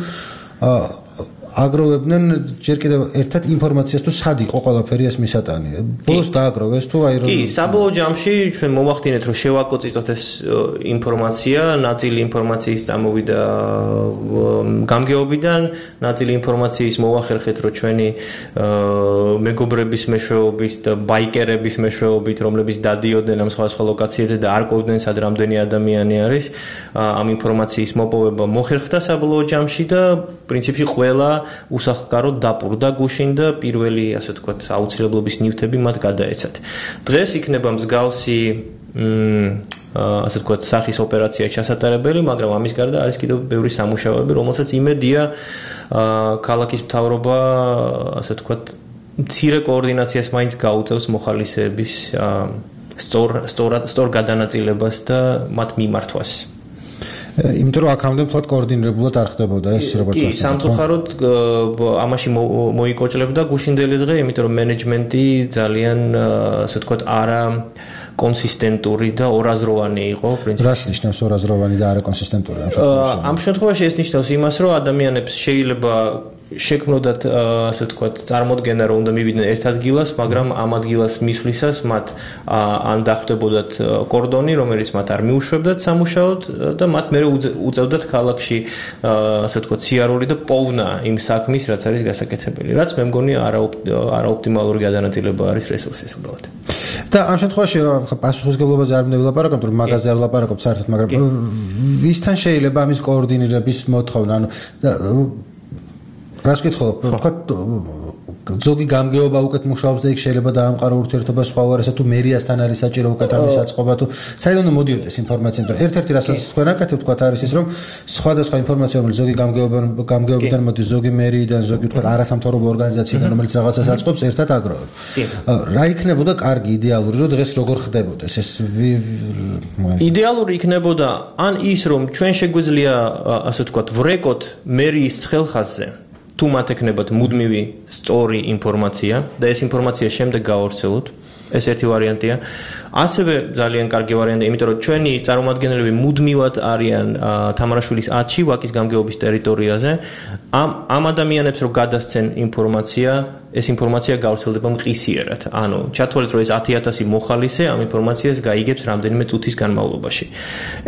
აგროვებდნენ ჯერ კიდევ ერთად ინფორმაციას თუ სად იყო ყველაფერი ეს მისატანი. ბოლოს დააგროვეს თუ აი რომ კი, საბოლოო ჯამში ჩვენ მოვახდინეთ რომ შევაკოციტოთ ეს ინფორმაცია, ნაწილი ინფორმაციის წამოვიდა გამგეობიდან, ნაწილი ინფორმაციის მოვახერხეთ რომ ჩვენი მეგობრების მეშვეობით და ბაიკერების მეშვეობით, რომლებიც დადიოდნენ ამ სხვადასხვა ლოკაციებზე და არ ყვებდნენ სად რამდენი ადამიანი არის, ამ ინფორმაციის მოპოვება მოხერხდა საბოლოო ჯამში და პრინციპში ყველა უსახლკაროდ დაპურდა გუშინ და პირველი, ასე ვთქვათ, აუცილებლობის ნივთები მათ გადაეცათ. დღეს იქნება მსგავსი ასე ვთქვათ, სახის ოპერაცია ჩასატარებელი, მაგრამ ამის გარდა არის კიდევ ბევრი სამუშაოები, რომელსაც იმედია ქალაქის მთავრობა, ასე ვთქვათ, მცირე კოორდინაციას მაინც გაუწევს მოხალისეების სწორ გადანაწილებას და მათ მიმართვას. იმიტომ რომ აქამდე მთლად კოორდინირებულად არ ხდებოდა ეს როგორც კი, სამწუხაროდ ამაში მოიკოჭლებდა გუშინდელი დღე, იმიტომ რომ მენეჯმენტი ძალიან ასე ვთქვათ არა კონსისტენტური და ორაზროვანი იყო პრინციპში. რას ნიშნავს ორაზროვანი და არა კონსისტენტური ამ შემთხვევაში ეს ნიშნავს იმას, რომ ადამიანებს შეიძლება შექმნოდათ ასე ვთქვათ წარმოდგენა რომ უნდა მივიდნენ ერთ ადგილას, მაგრამ ამ ადგილას მისვლისას მათ ან დახვდებოდათ კორდონი, რომელიც მათ არ მიუშვებდათ სამუშაოდ და მათ მერე უწევდათ ქალაქში ასე ვთქვათ სიარული და პოვნა იმ საქმის, რაც არის გასაკეთებელი, რაც მე მგონი არაოპტიმალური გადანაწილება არის რესურსის უბრალოდ. და ამ შემთხვევაში პასუხისგებლობაზე არ მინდა ვილაპარაკოთ, რომ მაგაზე არ ვილაპარაკობ საერთოდ, მაგრამ ვისთან შეიძლება ამის კოორდინირების მოთხოვნა, ანუ რას ვკითხულობ, ვთქვათ ზოგი გამგეობა უკეთ მუშაობს და იქ შეიძლება დაამყარო ურთიერთობა სხვა უარესად თუ მერიასთან არის საჭირო უკეთ ამის აწყობა თუ საერთოდ მოდიოდეს ინფორმაცია, მაგრამ ერთ-ერთი რასაც თქვენ აკეთებთ, ვთქვათ არის ის, რომ სხვადასხვა ინფორმაცია, რომელიც ზოგი გამგეობიდან მოდის, ზოგი მერიიდან, ზოგი ვთქვათ არასამთავრობო ორგანიზაციიდან, რომელიც რაღაცას აწყობს, ერთად აგროვებ. რა იქნებოდა კარგი, იდეალური, რომ დღეს როგორ ხდებოდეს ეს? იდეალური იქნებოდა ან ის, რომ ჩვენ შეგვიძლია ასე ვთქვათ ვრეკოთ მერიის ხელხაზზე თუ მათ ეკნებათ მუდმივი სწორი ინფორმაცია და ეს ინფორმაცია შემდეგ გავავრცელოთ. ეს ერთი ვარიანტია. ასევე ძალიან კარგი ვარიანტია, იმიტომ რომ ჩვენი წარმომადგენლები მუდმივად არიან თამარაშვილის 10-ში ვაკის გამგეობის ტერიტორიაზე. ამ ადამიანებს რო გადასცენ ინფორმაცია, ეს ინფორმაცია გავრცელდება მყისიერად. ანუ ჩათვალეთ, რომ ეს 10,000 მოხალისე ამ ინფორმაციას გაიგებს რამდენიმე წუთის განმავლობაში.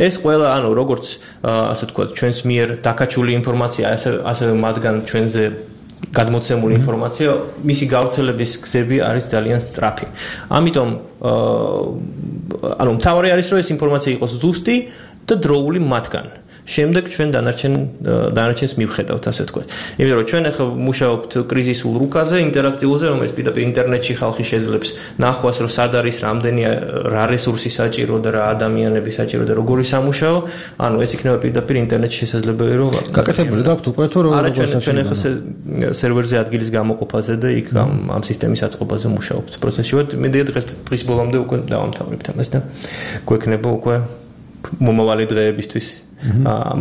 ეს ყველა, ანუ როგორც ასე ვთქვათ, ჩვენს მიერ დაკაჩული ინფორმაცია, ასევე მათგან ჩვენზე გადმოცემული ინფორმაცია, მისი გავრცელების გზები არის ძალიან სწრაფი. ამიტომ ანუ მთავარი არის, რომ ეს ინფორმაცია იყოს ზუსტი და დროული მათგან. შემდეგ ჩვენ დანარჩენს მივხედავთ, ასე ვთქვათ. იმიტომ რომ ჩვენ ახლა მუშაობთ კრიზისულ რუკაზე, ინტერაქტიულზე, რომელიც პირდაპირ ინტერნეტში ხალხი შეძლებს ნახვას, რომ სად არის რამდენი რა რესურსი საჭირო და რა ადამიანები საჭირო და როგორი სამუშაო, ანუ ეს იქნება პირდაპირ ინტერნეტში შესაძლებელი რომ გაკეთებული გაქვთ უკვე თუ როგორ ჩვენ ახლა სერვერზე ადგილის გამოყოფაზე და იქ ამ სისტემის აწყობაზე მუშაობთ პროცესში ვართ. მე დღის ბოლომდე უკვე დავამთავრებთ ამას და გვექნება უკვე მომავალი დღეებისთვის.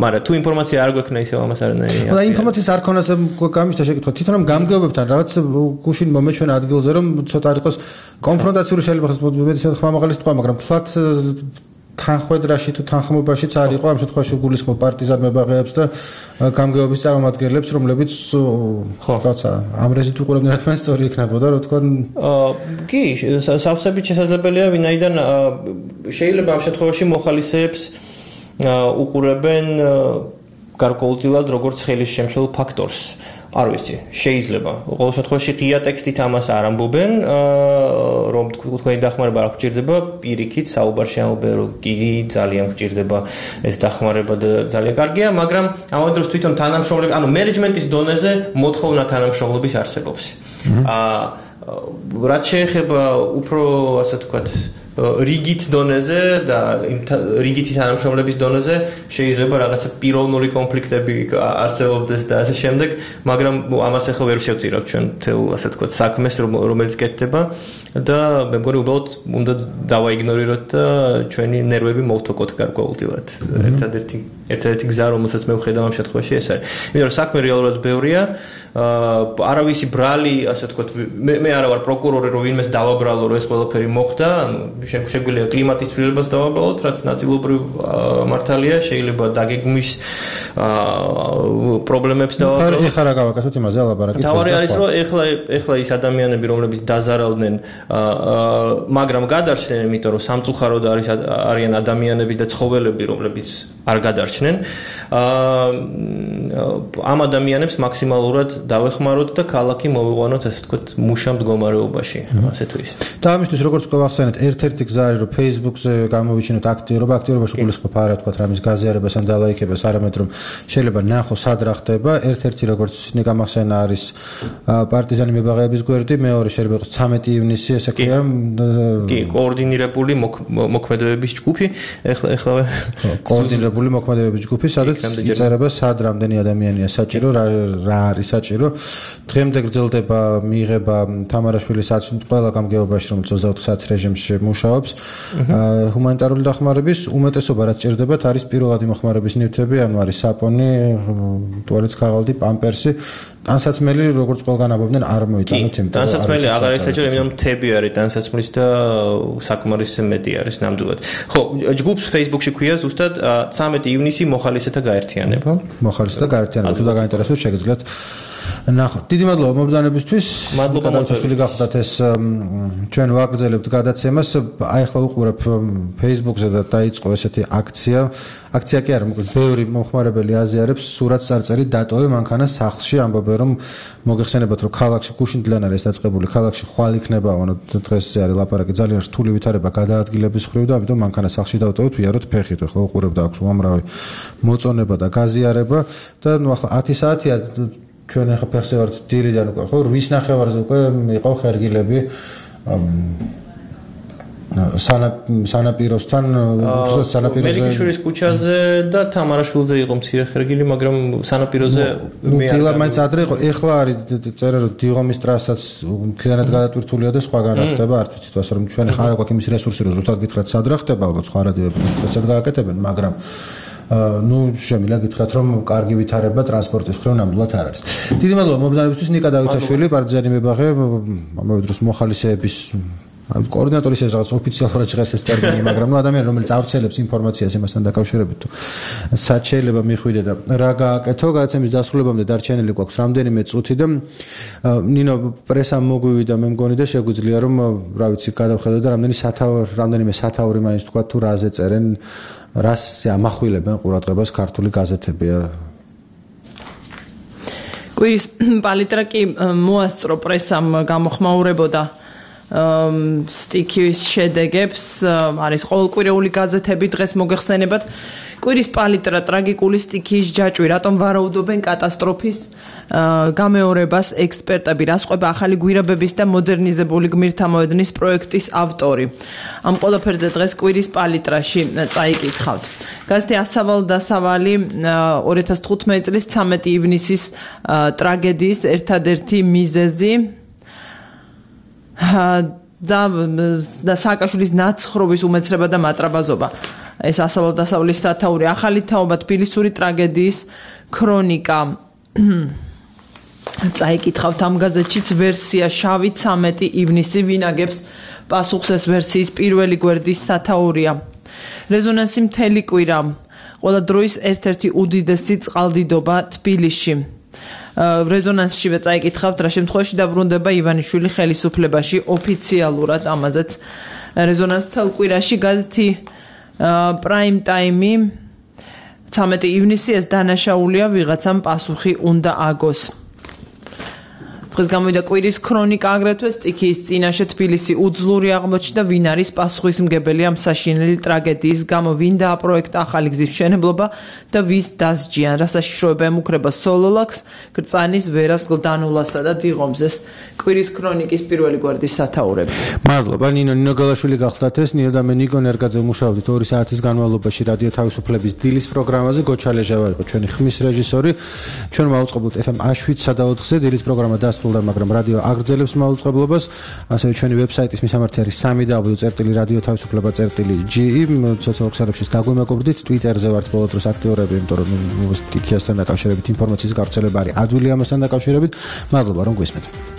მაგრამ თუ ინფორმაცია არ გვექნა ისევ ამას არანაირი. და ინფორმაციის არ ქონას გამიშთა შეკითხვა. თვითონ ამ გამგეობებთან რაღაც გუშინ მომეჩვენა ადგილზე რომ ცოტა იყოს კონფრონტაციული შეიძლება ხმ ხმამაღლის თქვა, მაგრამ თლათ თანხმედრაში თუ თანხმობაშიც არ იყო ამ შემთხვევაში გულისხმობ პარტიზან მებაღეებს და გამგეობის წარმომადგენლებს, რომლებიც რაღაცა ამ რეზით უყურებდნენ რა თქმა უნდა სწორი იქნებოდა, რა თქვა. კი, სავსებით შესაძლებელია, ვინაიდან შეიძლება ამ შემთხვევაში მოხალისეებს უყურებენ გარკვეულწილად როგორც ხელის შემშლელ ფაქტორს. არ ვიცი, შეიძლება. ყოველ შემთხვევაში ღია ტექსტით ამას არ ამბობენ, რომ თქვენი დახმარება არ გჭირდება, პირიქით საუბარში ამბობენ, რომ კი ძალიან გჭირდება ეს დახმარება და ძალიან კარგია, მაგრამ ამავე დროს თვითონ თანამშრომლები, ანუ მენეჯმენტის დონეზე მოთხოვნა თანამშრომლობის არსებობს. რაც შეეხება უფრო, ასე ვთქვათ, რიგით დონეზე და რიგითი თანამშრომლების დონეზე შეიძლება რაღაცა პიროვნული კონფლიქტები არსებობდეს და ასე შემდეგ, მაგრამ ამას ახლა ვერ შევწირავთ ჩვენ თელ ასე თქვა საქმეს, რომელიც კეთდება და მე მგონი უბრალოდ უნდა დავაიგნორიროთ და ჩვენი ნერვები მოვთოკოთ გარკვეულწილად. ერთადერთი გზა, რომელსაც მე ვხედავ ამ შემთხვევაში ეს არის. იმიტომ რომ საქმე რეალურად ბევრია, არავისი ბრალი, ასე ვთქვათ, მე არა ვარ პროკურორი, რომ ვინმეს დავაბრალო, რომ ეს ყველაფერი მოხდა, ანუ შეგვიძლია კლიმატის ცვლილებას დავაბრალოთ, რაც ნაწილობრივ მართალია, შეიძლება დაგეგმვის პრობლემებს დავაბრალოთ. ეხლა რა გავაკეთოთ იმაზე ლაპარაკი. თავარი არის, რომ ეხლა ის ადამიანები, რომლებიც დაზარალდნენ, მაგრამ გადარჩნენ, იმიტომ რომ სამწუხაროდ არიან ადამიანები და ცხოველები, რომლებიც არ გადარჩნენ. ამ ადამიანებს მაქსიმალურად დავეხმაროთ და ქალაქი მოვიყვანოთ, ასე ვთქვათ, მუშა მდგომარეობაში, ასე თუ ისე. და ამისთვის როგორც გვახსენეთ, ერთ-ერთი გზა არის, რომ Facebook-ზე გამოვიჩინოთ აქტიურობაში გულისხმობ არა ვთქვათ, რამის გაზიარებას ან დალაიქებას, არამედ რომ შეიძლება ნახო სად რა ხდება. ერთ-ერთი როგორც ნიკა მახსენა არის პარტიზანი მებაღეების გვერდი, მეორე შეიძლება იყოს 13 ივნისი, ესე ქვია. კი, კოორდინირებული მოქმედებების ჯგუფი, ეხლა კოორდინირებული მოქმედებების ჯგუფი, სადაც იწერება სად რამდენი ადამიანია საჭირო, რა არის საჭირო. დღემდე გრძელდება მიიღება თამარაშვილის აცნით ყველა გამგეობაში, რომელიც 24 საათის რეჟიმში მუშაობს. ჰუმანიტარული დახმარების უმეტესობა რაც ჭირდებათ არის პირველადი მოხმარების ნივთები, ანუ არის საპონი, ტუალეტის ქაღალდი, პამპერსი. ტანსაცმელი, როგორც ყველგან ამბობდნენ, არ მოიტანოთ იმ. ტანსაცმელი აღარ არის საჭირო, იმიტომ რომ მთები არის ტანსაცმლის და საკმარისზე მეტი არის ნამდვილად. ხო, ჯგუფს Facebook-ში ქვია ზუსტად 13 ივნისი მოხალისეთა გაერთიანება. მოხალისეთა გაერთიანება, თუ დაგაინტერესებთ, შეგიძლიათ ნახოთ. დიდი მადლობა მობრძანებისთვის. მადლობა გადავთვალოთ გახდათ ეს ჩვენ ვაგრძელებთ გადაცემას. აი ახლა უყურებ Facebook-ზე და დაიწყო ესეთი აქცია. აქცია კი არა, მოკლედ ბევრი მომხმარებელი აზიარებს სურათს წარწერი დატოვე მანქანა სახლში, ამბობენ რომ მოგეხსენებათ რომ ქალაქში გუშინდლან არის დაწყებული, ქალაქში ხვალ იქნება, ანუ დღეს არის ლაპარაკი ძალიან რთული ვითარება გადაადგილების ხრივ და ამიტომ მანქანა სახლში დავტოვეთ, ვიაროთ ფეხით. ახლა უყურებ და აქვს უამრავი მოწონება და გაზიარება და ნუ ახლა 10 საათია ჩვენ ახლა ფეხზე ვართ დილიდან უკვე, ხო 8:30-ზე უკვე იყო ხერგილები სანაპიროსთან, მელიქიშვილის ქუჩაზე და თამარაშვილზე იყო მცირე ხერგილი, მაგრამ სანაპიროზე მე დილა მაინც ადრე იყო. ეხლა არის წერა რომ დიღომის ტრასაც მთლიანად გადატვირთულია და სხვაგან რა ხდება, არც ვიცით ასე რომ ჩვენ ხარ აქვს იმის რესურსი რომ ზუსტად გითხრათ სად რა ხდება, ალბათ სხვა რადიოები სულ გააკეთებენ, მაგრამ ну შემიძლია გითხრათ რომ კარგი ვითარება ტრანსპორტის მხრივ ნამდვილად არ არის. დიდი მადლობა მობრძანებისთვის ნიკა დავითაშვილი, პარტიზანი მებაღე, ამავე დროს მოხალისეების კოორდინატორის ეს რაღაც ოფიციალურად ჟღერს ეს ტერმინი, მაგრამ ნუ ადამიანი რომელიც ავრცელებს ინფორმაციას იმასთან დაკავშირებით თუ სად შეიძლება მიხვიდე და რა გააკეთო, გადაცემის დასრულებამდე დარჩენილი გვაქვს რამდენიმე წუთი და ნინო პრესამ მოგვივიდა მე მგონი და შეგვიძლია რომ რა ვიცი გადავხედოთ და რამდენიმე სათაური მაინც თქვა თუ რაზე წერენ, რას ამახვილებენ ყურადღებას ქართული გაზეთები. კვირის პალიტრა კი მოასწრო პრესამ გამოხმაურებოდა სტიქის შედეგებს, არის ყოველკვირეული გაზეთები დღეს მოგეხსენებათ. კვირის პალიტრა, ტრაგიკული სტიქიის ჯაჭვი, რატომ ვარაუდობენ კატასტროფის გამეორებას ექსპერტები, რას ყვება ახალი გვირაბების და მოდერნიზებული გმირთა მოედნის პროექტის ავტორი. ამ ყველაფერზე დღეს კვირის პალიტრაში წაიკითხავთ. გაზეთი ასავალ-დასავალი 2015 წლის 13 ივნისის ტრაგედიის ერთადერთი მიზეზი და სააკაშვილის ნაცხრობის უმეცრება და მატრაბაზობა. ეს ასავალ-დასავლის სათაური ახალი თაობა თბილისური ტრაგედიის ქრონიკა. წაიკითხავთ ამ გაზეთშიც ვერსია შავი 13 ივნისი ვინაგებს პასუხს ეს ვერსიის პირველი გვერდის სათაურია. რეზონანსი მთელი კვირა. ყველა დროის ერთ-ერთი უდიდესი წყალდიდობა თბილისში. რეზონანსშივე წაიკითხავთ რა შემთხვევაში დაბრუნდება ივანიშვილი ხელისუფლებაში ოფიციალურად ამაზეც რეზონანს მთელ კვირაში გაზეთი პრაიმ ტაიმი 13 ივნისი ეს დანაშაულია ვიღაცამ პასუხი უნდა აგოს. დღეს გამოვიდა კვირის ქრონიკა აგრეთვე სტიქიის წინაშე თბილისი უძლური აღმოჩნდა ვინ არის პასუხისმგებელი ამ საშინელი ტრაგედიის გამო ვინ დააპროექტა ახალი გზის მშენებლობა და ვის დასჯიან რა საშიშროება ემუქრება სოლოლაკს გრწანის ვერას გლდანულასა და დიღომზეს კვირის ქრონიკის პირველი გვერდის სათაურები. მადლობა ნინო გალაშვილი გახლდათ ეს ნინო და მე ნიკო ნერგაძე მუშაობდით 2 საათის განმავლობაში რადიო თავისუფლების დილის პროგრამაზე გოჩალეჟავა იყო ჩვენი ხმის რეჟისორი ჩვენ მაუწყებლობთ FM A7 სადაოთხზე დილის პროგრამა დასრულდა მაგრამ რადიო აგრძელებს მაუწყებლობას ასევე ჩვენი ვებსაიტის მისამართი არის www.radio-tavisupleba.ge სოციალურ ქსელებში დაგვემეკობრდით Twitter-ზე ვართ ბოლო დროს აქტიურები იმიტომ რომ სტიქიასთან დაკავშირებით ინფორმაციის გავრცელება არის ადვილი ამასთან დაკავშირებით მადლობა რომ გვისმენთ